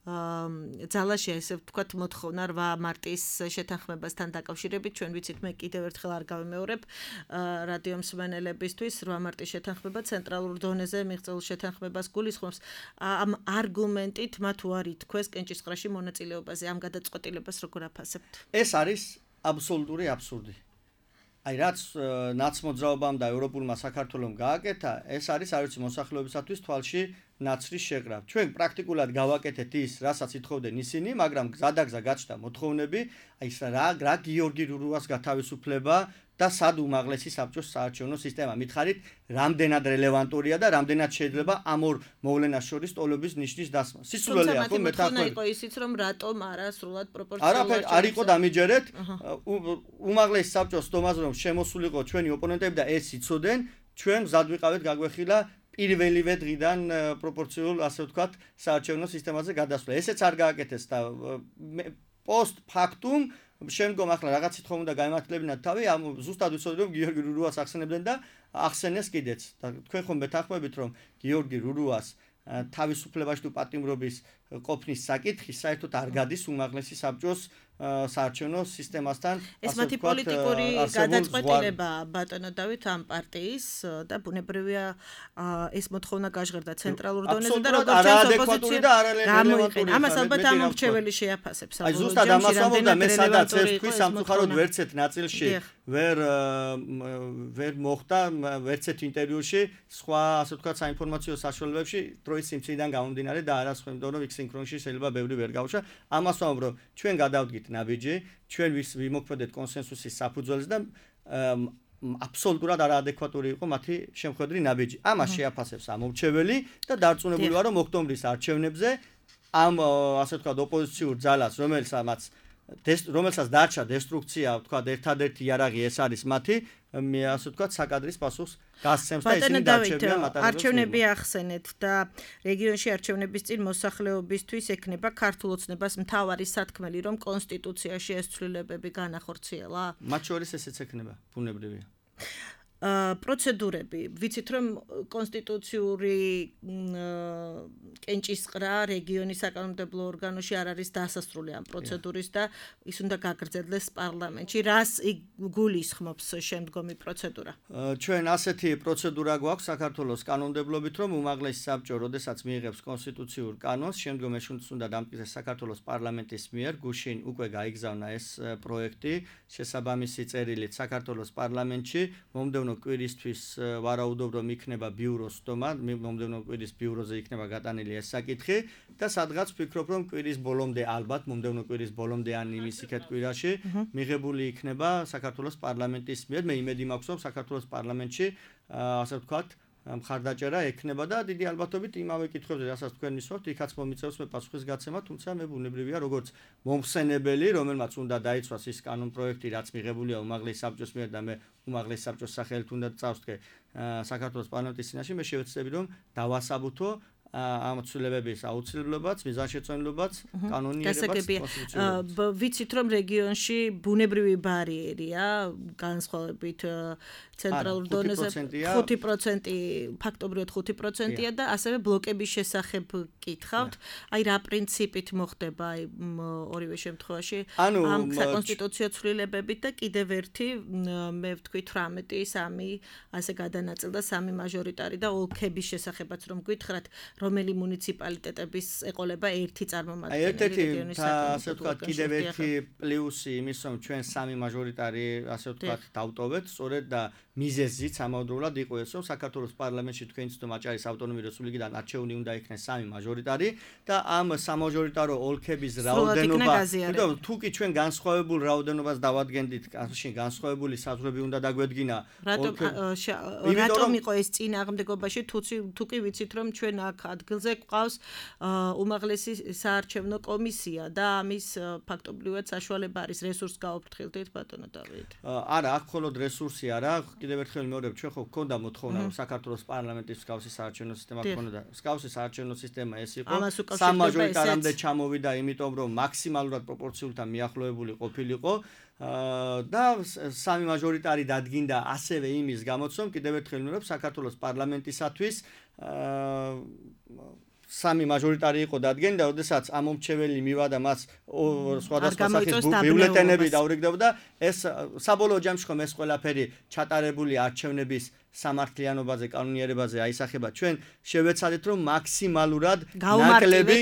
ძალაში ესე ვთქვათ მოთხოვნა 8 მარტის შეთანხმებასთან დაკავშირებით ჩვენ ვიცით მე კიდევ ერთხელ არ გავიმეორებ რადიო მსმენელებისთვის 8 მარტის შეთანხმება ცენტრალურ დონეზე მიღწეულ შეთანხმებას გულისხმობს ამ არგუმენტით მათ უარი თქვეს კენჭისყრაში მონაწილეობაზე ამ გადაწყვეტილებას როგორ აფასებთ? ეს არის აბსოლუტური აბსურდი. აი რაც ნაცმოძრაობამ და ევროპულმა საქართველომ გააკეთა, ეს არის არ ვიცი მოსახლეობისათვის თვალში ნაცრის შეყრა. ჩვენ პრაქტიკულად გავაკეთეთ ის, რასაც ითხოვდნენ ისინი, მაგრამ გზადაგზა გაჩნდა მოთხოვნები, აი რა გიორგი რურუას გათავისუფლება და სად უმაღლესი საბჭოს საარჩევნო სისტემა. მითხარით, რამდენად რელევანტურია და რამდენად შეიძლება ამ ორ მოვლენას შორის ტოლობის ნიშნის დასმა. სისულელეა ხო მეთანხმები. იყო ისიც რომ რატომ არა სრულად პროპორციულად არ იყო დამიჯერეთ. უმაღლესი საბჭოს თომაზე რომ შემოსულიყო ჩვენი ოპონენტები და ეს იცოდნენ, ჩვენ გზად ვიყავით გაგვეხილა პირველივე დღიდან პროპორციულ ასე ვთქვათ საარჩევნო სისტემაზე გადასვლა. ესეც არ გააკეთეს და პოსტ ფაქტუმ შემდგომ ახლა რაღაც სიტყვა უნდა გაემართლებინათ თავი ამ ზუსტად ვიცოდი რომ გიორგი რურუას ახსენებდნენ და ახსენეს კიდეც და თქვენ ხომ მეთანხმებით რომ გიორგი რურუას თავისუფლებაში თუ პატიმრობის ყოფნის საკითხი საერთოდ არ გადის უმაღლესი საბჭოს საარჩევნო სისტემასთან ეს მათი პოლიტიკური გადაწყვეტილება ბატონო დავით ამ პარტიის და ბუნებრივია ეს მოთხოვნა გაჟღერდა ცენტრალურ დონეზე და როგორც ოპოზიცია გამოიყენა. ამას ალბათ ამორჩეველი შეაფასებს. აი ზუსტად ამას ამბობდა მე სადაც ეს თქვი სამწუხაროდ ვერცეთ ნაწილში ვერ მოხდა ვერცეთ ინტერვიუში სხვა ასე ვთქვათ საინფორმაციო საშუალებებში დროის სიმცირიდან გამომდინარე და არა სხვა იმიტომ რომ იქ სინქრონში შეიძლება ბევრი ვერ გავუშვა. ამას ვამბობ რომ ჩვენ გადავდგით ნაბიჯი ჩვენ ვიმოქმედეთ კონსენსუსის საფუძველზე და აბსოლუტურად არაადეკვატური იყო მათი შემხედრი ნაბიჯი. ამას შეაფასებს ამორჩეველი და დარწმუნებული ვარ რომ ოქტომბრის არჩევნებზე ამ ასე ვთქვათ ოპოზიციურ ძალას რომელსაც დარჩა დესტრუქცია ვთქვათ ერთადერთი იარაღი ეს არის მათი მე ასე ვთქვათ საკადრის პასუხს გასცემს და ისინი დარჩებიან მატარებლებს. არჩევნები ახსენეთ და რეგიონში არჩევნების წინ მოსახლეობისთვის ექნება ქართულ ოცნებას მთავარი სათქმელი რომ კონსტიტუციაში ეს ცვლილებები განახორციელა? მათ შორის ესეც ექნება ბუნებრივია. პროცედურები ვიცით რომ კონსტიტუციური კენჭისყრა რეგიონის საკანონმდებლო ორგანოში არ არის დასასრული ამ პროცედურის და ის უნდა გაგრძელდეს პარლამენტში. რას გულისხმობს შემდგომი პროცედურა? ჩვენ ასეთი პროცედურა გვაქვს საქართველოს კანონმდებლობით რომ უმაღლესი საბჭო როდესაც მიიღებს კონსტიტუციურ კანონს შემდგომ ეს უნდა დამტკიცდეს საქართველოს პარლამენტის მიერ გუშინ უკვე გაიგზავნა ეს პროექტი შესაბამისი წერილით საქართველოს პარლამენტში მომდევნო კვირისთვის ვარაუდობ რომ იქნება ბიუროს სტომა მომდევნო კვირის ბიუროზე იქნება გატანილი ეს საკითხი და სადღაც ვფიქრობ რომ კვირის ბოლომდე ალბათ მომდევნო კვირის ბოლომდე ან იმის იქეთ კვირაში მიღებული იქნება საქართველოს პარლამენტის მიერ მე იმედი მაქვს რომ საქართველოს პარლამენტში ასე ვთქვათ მხარდაჭერა ექნება და დიდი ალბათობით იმავე კითხვებზე რასაც თქვენ მისვავთ იქაც მომიწევს მე პასუხისგაცემა თუმცა მე ბუნებრივია როგორც მომხსენებელი რომელმაც უნდა დაიცვას ის კანონპროექტი რაც მიღებულია უმაღლეს საბჭოს მიერ და მე უმაღლეს საბჭოს სახელით უნდა წავსდგე საქართველოს პარლამენტის წინაშე მე შევეცდები რომ დავასაბუთო ამ ცვლილებების აუცილებლობაც, მიზანშეწონილობაც, კანონიერებაც. ვიცით რომ რეგიონში ბუნებრივი ბარიერია, განსხვავებით ცენტრალურ დონეზე 5% ფაქტობრივად 5%-ია და ასევე ბლოკების შესახებ კითხავთ. აი რა პრინციპით მოხდება აი ორივე შემთხვევაში ამ საკონსტიტუციო ცვლილებებით და კიდევ ერთი მე ვთქვი 18-3 ასე გადანაწილდა 3 მაჟორიტარი და ოლქების შესახებაც რომ გითხრათ რომელი მუნიციპალიტეტების ეყოლება ერთი წარმომადგენელი რეგიონის საკონსტიტუციო ასე ვთქვათ კიდევ ერთი პლუსი იმის რომ ჩვენ 3 მაჟორიტარი ასე ვთქვათ დავტოვეთ სწორედ და მიზეზიც ამავდროულად იყო ეს რომ საქართველოს პარლამენტში თქვენ ცნო მაჭარის ავტონომიური რესპუბლიკიდან არჩეული უნდა იქნეს 3 მაჟორიტარი და ამ სამაჟორიტარო ოლქების რაოდენობა იმიტომ თუ კი ჩვენ განსხვავებულ რაოდენობას დავადგენდით ასე განსხვავებული საზღვრები უნდა დაგვედგინა რატომ იყო ეს წინააღმდეგობაში თუ კი ვიცით რომ ჩვენ აქ ადგილზე გვყავს უმაღლესი საარჩევნო კომისია და ამის ფაქტობრივად საშუალება არის რესურს გაუფრთხილდით ბატონო დავით არა აქ მხოლოდ რესურსი არა კიდევ ერთხელ მეორებ ჩვენ ხო გქონდა მოთხოვნა რომ საქართველოს პარლამენტის მსგავსი საარჩევნო სისტემა გქონოდა მსგავსი საარჩევნო სისტემა ეს იყო სამაჟორიტარამდე ჩამოვიდა იმიტომ რომ მაქსიმალურად პროპორციულად მიახლოებული ყოფილიყო და 3 მაჟორიტარი დადგინდა ასევე იმის გამოც რომ კიდევ ერთხელ მეორებ საქართველოს პარლამენტისათვის 3 მაჟორიტარი იყო დადგენილი და როდესაც ამომრჩეველი მივადა მას სხვადასხვა სახის ბიულეტენები დაურიგდებოდა ეს საბოლოო ჯამში ხომ ეს ყველაფერი ჩატარებული არჩევნების სამართლიანობაზე კანონიერებაზე აისახება ჩვენ შევეცადეთ რომ მაქსიმალურად ნაკლები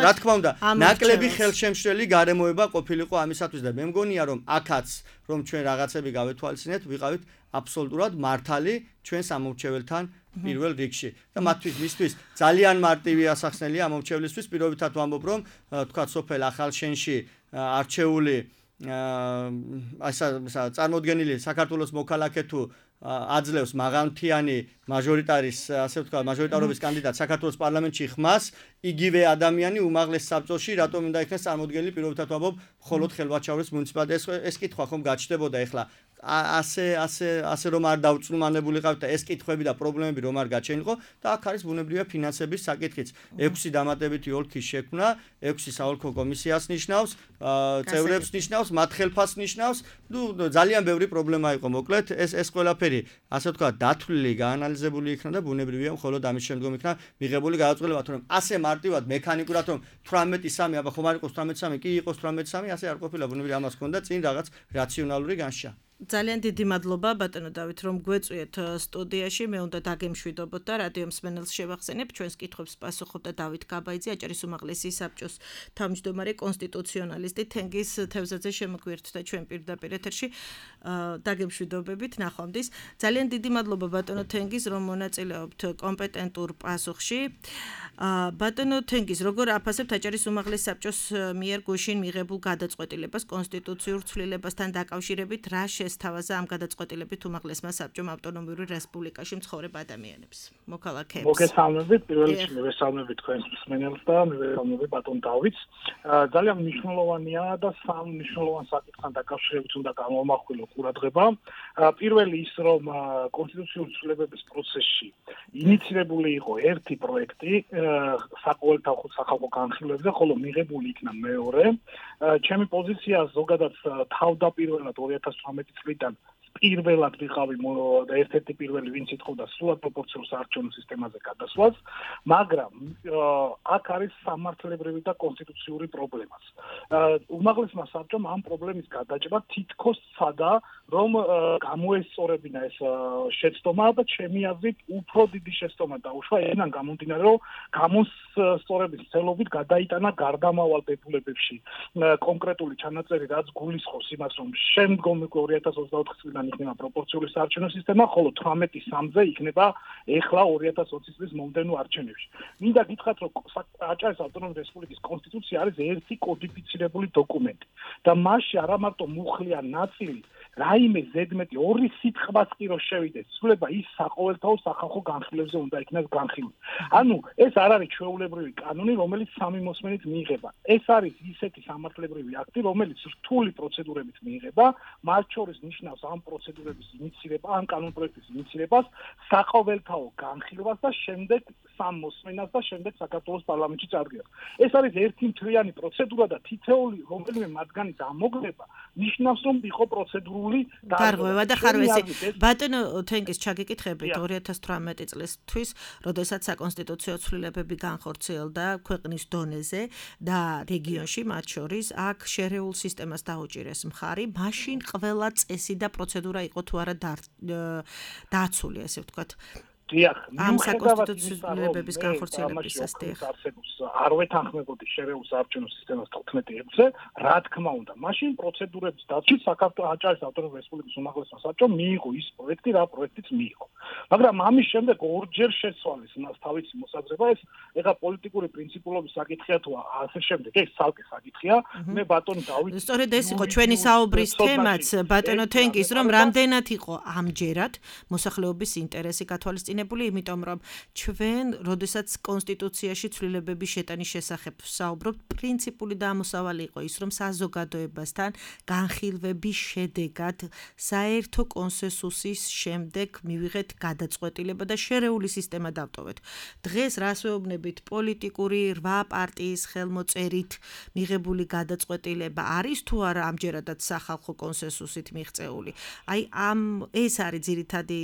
რა თქმა უნდა ნაკლები ხელშემშლელი გარემოება ყოფილიყო ამისათვის და მე მგონია რომ აქაც რომ ჩვენ რაღაცები გავეთვალისწინეთ ვიყავით აბსოლუტურად მართალი ჩვენს ამომრჩეველთან პირველ რიგში და მისთვის ძალიან მარტივი ასახსნელია ამომრჩევლისთვის პირობითად ვამბობ რომ თქვა სოფელ ახალშენში არჩეული წარმოდგენილი საქართველოს მოქალაქე თუ აძლევს მაღალმთიანი მაჟორიტარის ასე ვთქვათ მაჟორიტარობის კანდიდატს საქართველოს პარლამენტში ხმას იგივე ადამიანი უმაღლეს საბჭოში რატომ უნდა იქნეს წარმოდგენილი პირობითად ვამბობ მხოლოდ ხელვაჩაურის მუნიციპალიტეტს ეს კითხვა ხომ გაჩნდებოდა ეხლა ასე რომ არ დავწლუმანებულიყავთ და ეს კითხვები და პრობლემები რომ არ გაჩენილიყო და აქ არის ბუნებრივია ფინანსების საკითხიც. 6 დამატებითი ოლქის შექმნა, 6 საოლქო კომისიას ნიშნავს, წევრებს ნიშნავს, მათ ხელფასს ნიშნავს. ძალიან ბევრი პრობლემა იყო. მოკლედ ეს ყველაფერი, ასე ვთქვათ, დათვლილი, გაანალიზებული იქნა და ბუნებრივია მხოლოდ ამის შემდგომ იქნა მიღებული გადაწყვეტილება, რომ ასე მარტივად მექანიკურად რომ 18-3, აბა ხომ არ იყოს 18-3, კი იყოს 18-3, ასე არ ყოფილა ბუნებრივია ამას ჰქონდა წინ რაღაც რაციონალური განშა. ძალიან დიდი მადლობა ბატონო დავით რომ გვეწვიეთ სტუდიაში მე უნდა დაგემშვიდობოთ და რადიო მსმენელს შევახსენებ ჩვენს კითხვებს პასუხობდა დავით გაბაიძე აჭარის უმაღლესი საბჭოს თავმჯდომარე კონსტიტუციონალისტი თენგიზ თევზაძე შემოგვიერთდა ჩვენ პირდაპირ ეთერში დაგემშვიდობებით ნახვამდის ძალიან დიდი მადლობა ბატონო თენგიზ რომ მონაწილეობთ კომპეტენტურ პასუხში ბატონო თენგიზ როგორ აფასებთ აჭარის უმაღლეს საბჭოს მიერ გუშინ მიღებულ გადაწყვეტილებას კონსტიტუციურ ცვლილებასთან დაკავშირებით რა შესთავაზა ამ გადაწყვეტილებით უმაღლესმა საბჭომ ავტონომიური რესპუბლიკაში მცხოვრებ ადამიანებს მოქალაქეებს მოგესალმებით პირველ რიგში მივესალმებით თქვენს მსმენელს და მივესალმებით ბატონ დავითს ძალიან მნიშვნელოვანია და სამ მნიშვნელოვან საკითხთან დაკავშირებით უნდა გამოვმახვილო ყურადღება პირველი ის რომ კონსტიტუციური ცვლილებების პროცესში ინიცირებული იყო ერთი პროექტი საყოველთაო სახალხო განხილვებზე, ხოლო მიღებული იქნა მეორე. ჩემი პოზიცია ზოგადად თავდაპირველად 2018 წლიდან პირველად ვიყავი და ერთ-ერთი პირველი ვინც ითხოვდა სრულად პროპორციულ საარჩევნო სისტემაზე გადასვლას, მაგრამ აქ არის სამართლებრივი და კონსტიტუციური პრობლემაც. უმაღლესმა საბჭომ ამ პრობლემის გადაჭრა თითქოს სცადა, რომ გამოესწორებინა ეს შეცდომა და ჩემი აზრით უფრო დიდი შეცდომა დაუშვა ენან გამომდინარე, რომ გამოსწორების ცელობით გადაიტანა გარდამავალ დებულებებში კონკრეტული ჩანაწერი, რაც გულისხმობს იმას, რომ შემდგომი 2024 წლიდან იქნება პროპორციული საარჩევნო სისტემა, ხოლო 18-3-ზე იქნება ეხლა 2020 წლის მომდევნო არჩევნებში. მინდა გითხრათ, რომ აჭარის ავტონომიური რესპუბლიკის კონსტიტუცია არის ერთი კოდიფიცირებული დოკუმენტი და მასში არა მარტო მუხლია ნაწილი, რაიმე ზედმეტი ორი სიტყვაც კი რო შევიდეს, ცვლება ის საყოველთაო სახალხო განხილვებზე უნდა იქნას განხილული. ანუ ეს არ არის ჩვეულებრივი კანონი, რომელიც სამი მოსმენით მიიღება. ეს არის ისეთი სამართლებრივი აქტი, რომელიც რთული პროცედურებით მიიღება, მათ შორის ნიშნავს ამ პროცედურების ინიცირება, ამ კანონპროექტის ინიცირებას, საყოველთაო განხილვას და შემდეგ სამ მოსმენას და შემდეგ საქართველოს პარლამენტში წარდგენას. ეს არის ერთი მთლიანი პროცედურა და თითოეული რომელიმე მათგანის ამოგრება ნიშნავს, რომ იყო პროცედურული გარღვევა და ხარვესი. ბატონო თენგიზ ჩაგიკითხებით 2018 წლისთვის, როდესაც საკონსტიტუციო ცვლილებები განხორციელდა ქვეყნის დონეზე და რეგიონში, მათ შორის აქ შერეულ სისტემას დაუჭირეს მხარი, მაშინ ყველა წესი და პროცედურა იყო თუ არა დაცული, ესე ვთქვათ. ამ საკონსტიტუციო ცვლილებების განხორციელებისას არ ვეთანხმებოდი შერეულ საარჩევნო სისტემას 15-ზე, რა თქმა უნდა, მაშინ პროცედურების დაცვის საქართველოს აჭარის ავტონომიური რესპუბლიკის უმაღლესმა საბჭომ მიიღო ის პროექტი, რა პროექტიც მიიღო. მაგრამ ამის შემდეგ ორჯერ შეცვალეს მას თავისი მოსაზრება, ეს ეხა პოლიტიკური პრინციპულობის საკითხია თუ ასე შემდეგ, ეს ცალკე საკითხია. მე ბატონ დავით სწორედ ეს იყო ჩვენი საუბრის თემაც, ბატონო თენგიზ, რომ რამდენად იყო ამჯერად მოსახლეობის ინტერესი გათვალისწინებული, იმიტომ რომ ჩვენ, როდესაც კონსტიტუციაში ცვლილებების შეტანის შესახებ საუბრობთ, პრინციპული და ამოსავალი იყო ის, რომ საზოგადოებასთან განხილვების შედეგად საერთო კონსენსუსის შემდეგ მივიღეთ გადაწყვეტილება და შერეული სისტემა დავტოვეთ. დღეს რას ვეუბნებით, პოლიტიკური 8 პარტიის ხელმოწერით მიღებული გადაწყვეტილება არის თუ არა ამჯერადაც სახალხო კონსენსუსით მიღწეული. აი ეს არის ძირითადი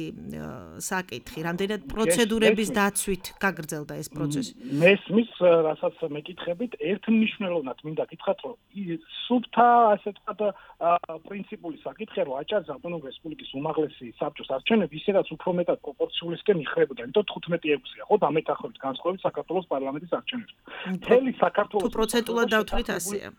საკითხი, რამდენად პროცედურების დაცვით გაგრძელდა ეს პროცესი. მესმის, რასაც მეკითხებით, ერთმნიშვნელოვნად მინდა გითხრათ, რომ სუფთა, ასე ვთქვათ, პრინციპული საკითხია, რომ აჭარის ავტონომიური რესპუბლიკის უმაღლესი საბჭოს არჩევნები ისედაც უფრო მეტად პროპორციულისკენ იხრებოდა, იმიტომ 15-6-ია, ხო, დამეთანხმებით განსხვავებით საქართველოს პარლამენტის არჩევნებს. მთელი საქართველოს თუ პროცენტულად დავთვლით ასეა.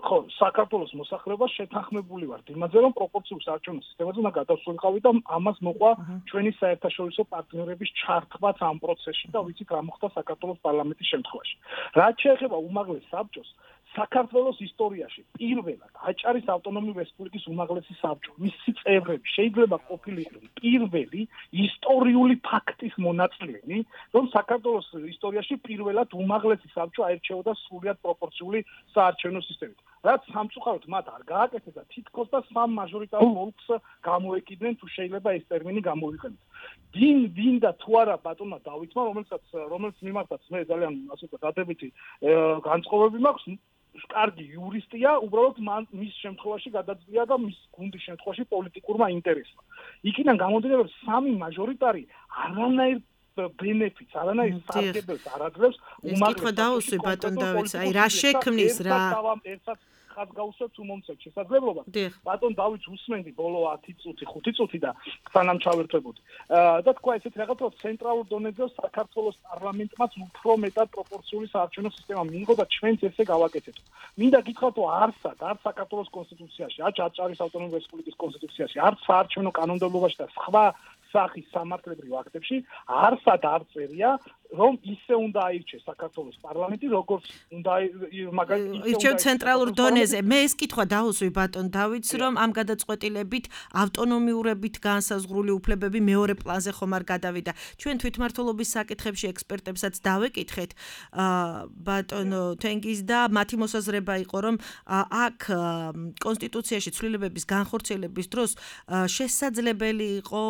ხო, საქართველოს მოსახლეობა შეთანხმებული ვართ იმაზე, რომ პროპორციულ საარჩევნო სისტემაზე უნდა გადავსულიყავით და ამას მოყვა ჩვენი საერთაშორისო პარტნიორების ჩართვაც ამ პროცესში და ვიცით რა მოხდა საქართველოს პარლამენტის შემთხვევაში. რაც შეეხება უმაღლეს საბჭოს, საქართველოს ისტორიაში პირველად აჭარის ავტონომიური რესპუბლიკის უმაღლესი საბჭო, მისი წევრები შეიძლება ყოფილიყვნენ პირველი ისტორიული ფაქტის მონაწილენი, რომ საქართველოს ისტორიაში პირველად უმაღლესი საბჭო აირჩეოდა სრულიად პროპორციული საარჩევნო სისტემით. რაც სამწუხაროდ მათ არ გააკეთეს და თითქოს და სამ მაჟორიტარულ ოლქს გამოეკიდნენ, თუ შეიძლება ეს ტერმინი გამოვიყენოთ. დინ და თუ არა ბატონმა დავითმა, რომელიც მიმართაც მე ძალიან ასე ვთქვათ, დადებითი განწყობები მაქვს, კარგი იურისტია, უბრალოდ მის შემთხვევაში გადაძლია და მის გუნდის შემთხვევაში პოლიტიკურმა ინტერესმა. იქიდან გამომდინარე, რომ სამი მაჟორიტარი არანაირ benefits, არანაირ სარგებელს არ აძლევს უმაღლეს. კითხვა დაუსვი ბატონ დავითს, აი რა შექმნის რა? ხაც გავუსვათ თუ მომცეთ შესაძლებლობა. ბატონ დავითს უსმენდი ბოლო 10 წუთი, 5 წუთი და სანამ ჩავერთვებოდი. და თქვა ესეთ რაღაც, რომ ცენტრალურ დონეზე საქართველოს პარლამენტმაც უფრო მეტად პროპორციული საარჩევნო სისტემა მიიღო და ჩვენც ესე გავაკეთეთ. მინდა გითხრათ, რომ არც საქართველოს კონსტიტუციაში, არც აჭარის ავტონომიური რესპუბლიკის კონსტიტუციაში, არც საარჩევნო კანონმდებლობაში და სხვა სახის სამართლებრივ აქტებში არსად არ წერია, რომ ისე უნდა აირჩეს საქართველოს პარლამენტი, როგორც უნდა ირჩევ ცენტრალურ დონეზე. მე ეს კითხვა დაუსვი ბატონ დავითს, რომ ამ გადაწყვეტილებით ავტონომიურებით განსაზღვრული უფლებები მეორე პლანზე ხომ არ გადავიდა. ჩვენ თვითმმართველობის საკითხებში ექსპერტებსაც დავეკითხეთ ბატონო თენგიზ და მათი მოსაზრება იყო, რომ აქ კონსტიტუციაში ცვლილებების განხორციელების დროს შესაძლებელი იყო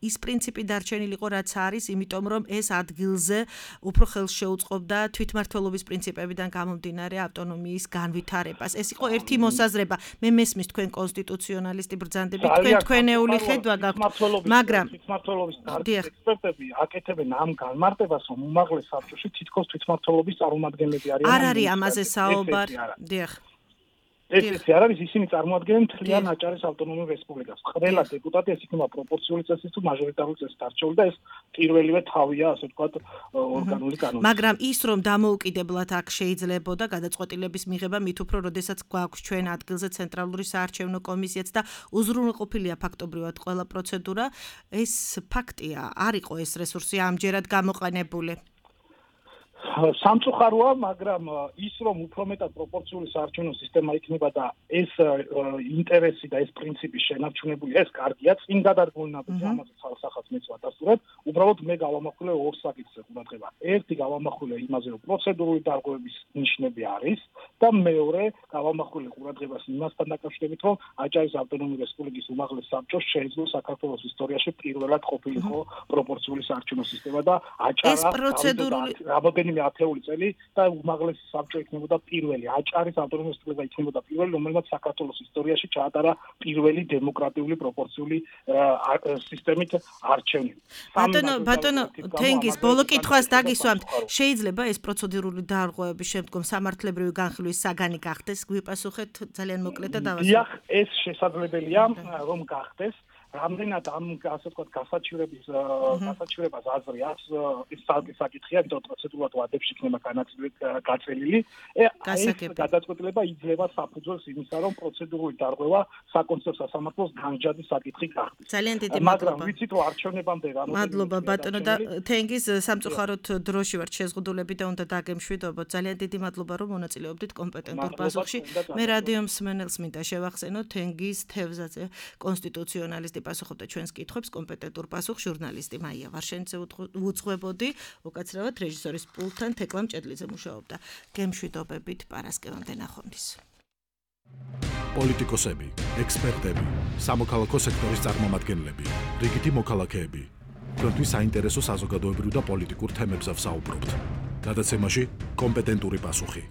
ის პრინციპი დარჩენილიყო, რაც არის, იმიტომ რომ ეს ადგილზე უფრო ხელს შეუწყობდა თვითმმართველობის პრინციპებიდან გამომდინარე ავტონომიის განვითარებას. ეს იყო ერთი მოსაზრება. მე მესმის თქვენ კონსტიტუციონალისტი ბრძანდები, თქვენ თქვენეული ხედვა გაქვთ, მაგრამ თვითმმართველობის ექსპერტები აკეთებენ ამ განმარტებას, რომ უმაღლეს საბჭოში თითქოს თვითმმართველობის წარმომადგენლები არიან. არ არის ამაზე საუბარი. დიახ. ეს არ არის, ისინი წარმოადგენენ მთლიან აჭარის ავტონომიურ რესპუბლიკას. ყველა დეპუტატი ეს იქნება პროპორციული წესით თუ მაჟორიტარული წესით არჩეული და ეს პირველივე თავია, ასე ვთქვათ, ორგანული კანონი. მაგრამ ის რომ დამოუკიდებლად აქ შეიძლებოდა გადაწყვეტილების მიღება, მით უფრო, როდესაც გვაქვს ჩვენ ადგილზე ცენტრალური საარჩევნო კომისიაც და უზრუნველყოფილია ფაქტობრივად ყველა პროცედურა, ეს ფაქტია, არ იყო ეს რესურსი ამჯერად გამოყენებული. სამწუხაროა, მაგრამ ის რომ უფრო მეტად პროპორციული საარჩევნო სისტემა იქნება და ეს ინტერესი და ეს პრინციპი შენარჩუნებული, ეს კარგია, წინ გადარგონილობაზე ამაზე სახაც მეც ვადასტურებ. უბრალოდ მე გავამახვილე ორ საკითხზე ყურადღება. ერთი გავამახვილე იმაზე, რომ პროცედურული დარღვევების ნიშნები არის და მეორე გავამახვილე ყურადღებას იმასთან დაკავშირებით, რომ აჭარის ავტონომიური რესპუბლიკის უმაღლეს საბჭოს შეეძლო საქართველოს ისტორიაში პირველად ყოფილიყო პროპორციული საარჩევნო სისტემა და აჭარა ათეული წელი და უმაღლესი საბჭო იქნებოდა პირველი, აჭარის ავტონომიური რესპუბლიკა იქნებოდა პირველი, რომელმაც საქართველოს ისტორიაში ჩაატარა პირველი დემოკრატიული პროპორციული სისტემით არჩევანი. ბატონო თენგიზ, ბოლო კითხვას დაგისვამთ. შეიძლება ეს პროცედურული დარღვევების შემდგომ სამართლებრივი განხილვის საგანი გახდეს? გვიპასუხეთ ძალიან მოკლედ და დავასრულოთ. დიახ, ეს შესაძლებელია, რომ გახდეს. რამდენად ამ ასე ვთქვათ გასაჩივრებას აზრი აქვს, ის საერთო საკითხია, იმიტომ რომ პროცედურულად ვადებში იქნება გაწელილი. ეს გადაწყვეტილება იძლევა საფუძველს იმისა, რომ პროცედურული დარღვევა საკონსტიტუციო სასამართლოს განჯადის საკითხი გახდეს. ძალიან დიდი მადლობა. მაგრამ ვიცით, რომ არჩევნებამდე მადლობა ბატონო და თენგიზ, სამწუხაროდ დროში ვართ შეზღუდულები და უნდა დაგემშვიდობოთ. ძალიან დიდი მადლობა, რომ მონაწილეობდით კომპეტენტურ პასუხში. მე რადიო მსმენელს მინდა შევახსენო თენგიზ თევზაძე, კონსტიტუციონალისტი პასუხობდა ჩვენს კითხვებს, კომპეტენტურ პასუხს ჟურნალისტი მაია ვარშენიძე უძღვებოდი, უკაცრავად რეჟისორის პულტთან თეკლამ ჭედლიძე მუშაობდა. გემშვიდობებით პარასკევამდე ნახვამდის. პოლიტიკოსები, ექსპერტები, სამოქალაქო სექტორის წარმომადგენლები, რიგითი მოქალაქეები. თქვენთვის საინტერესო საზოგადოებრივ და პოლიტიკურ თემებზე ვსაუბრობთ. გადაცემაში კომპეტენტური პასუხი.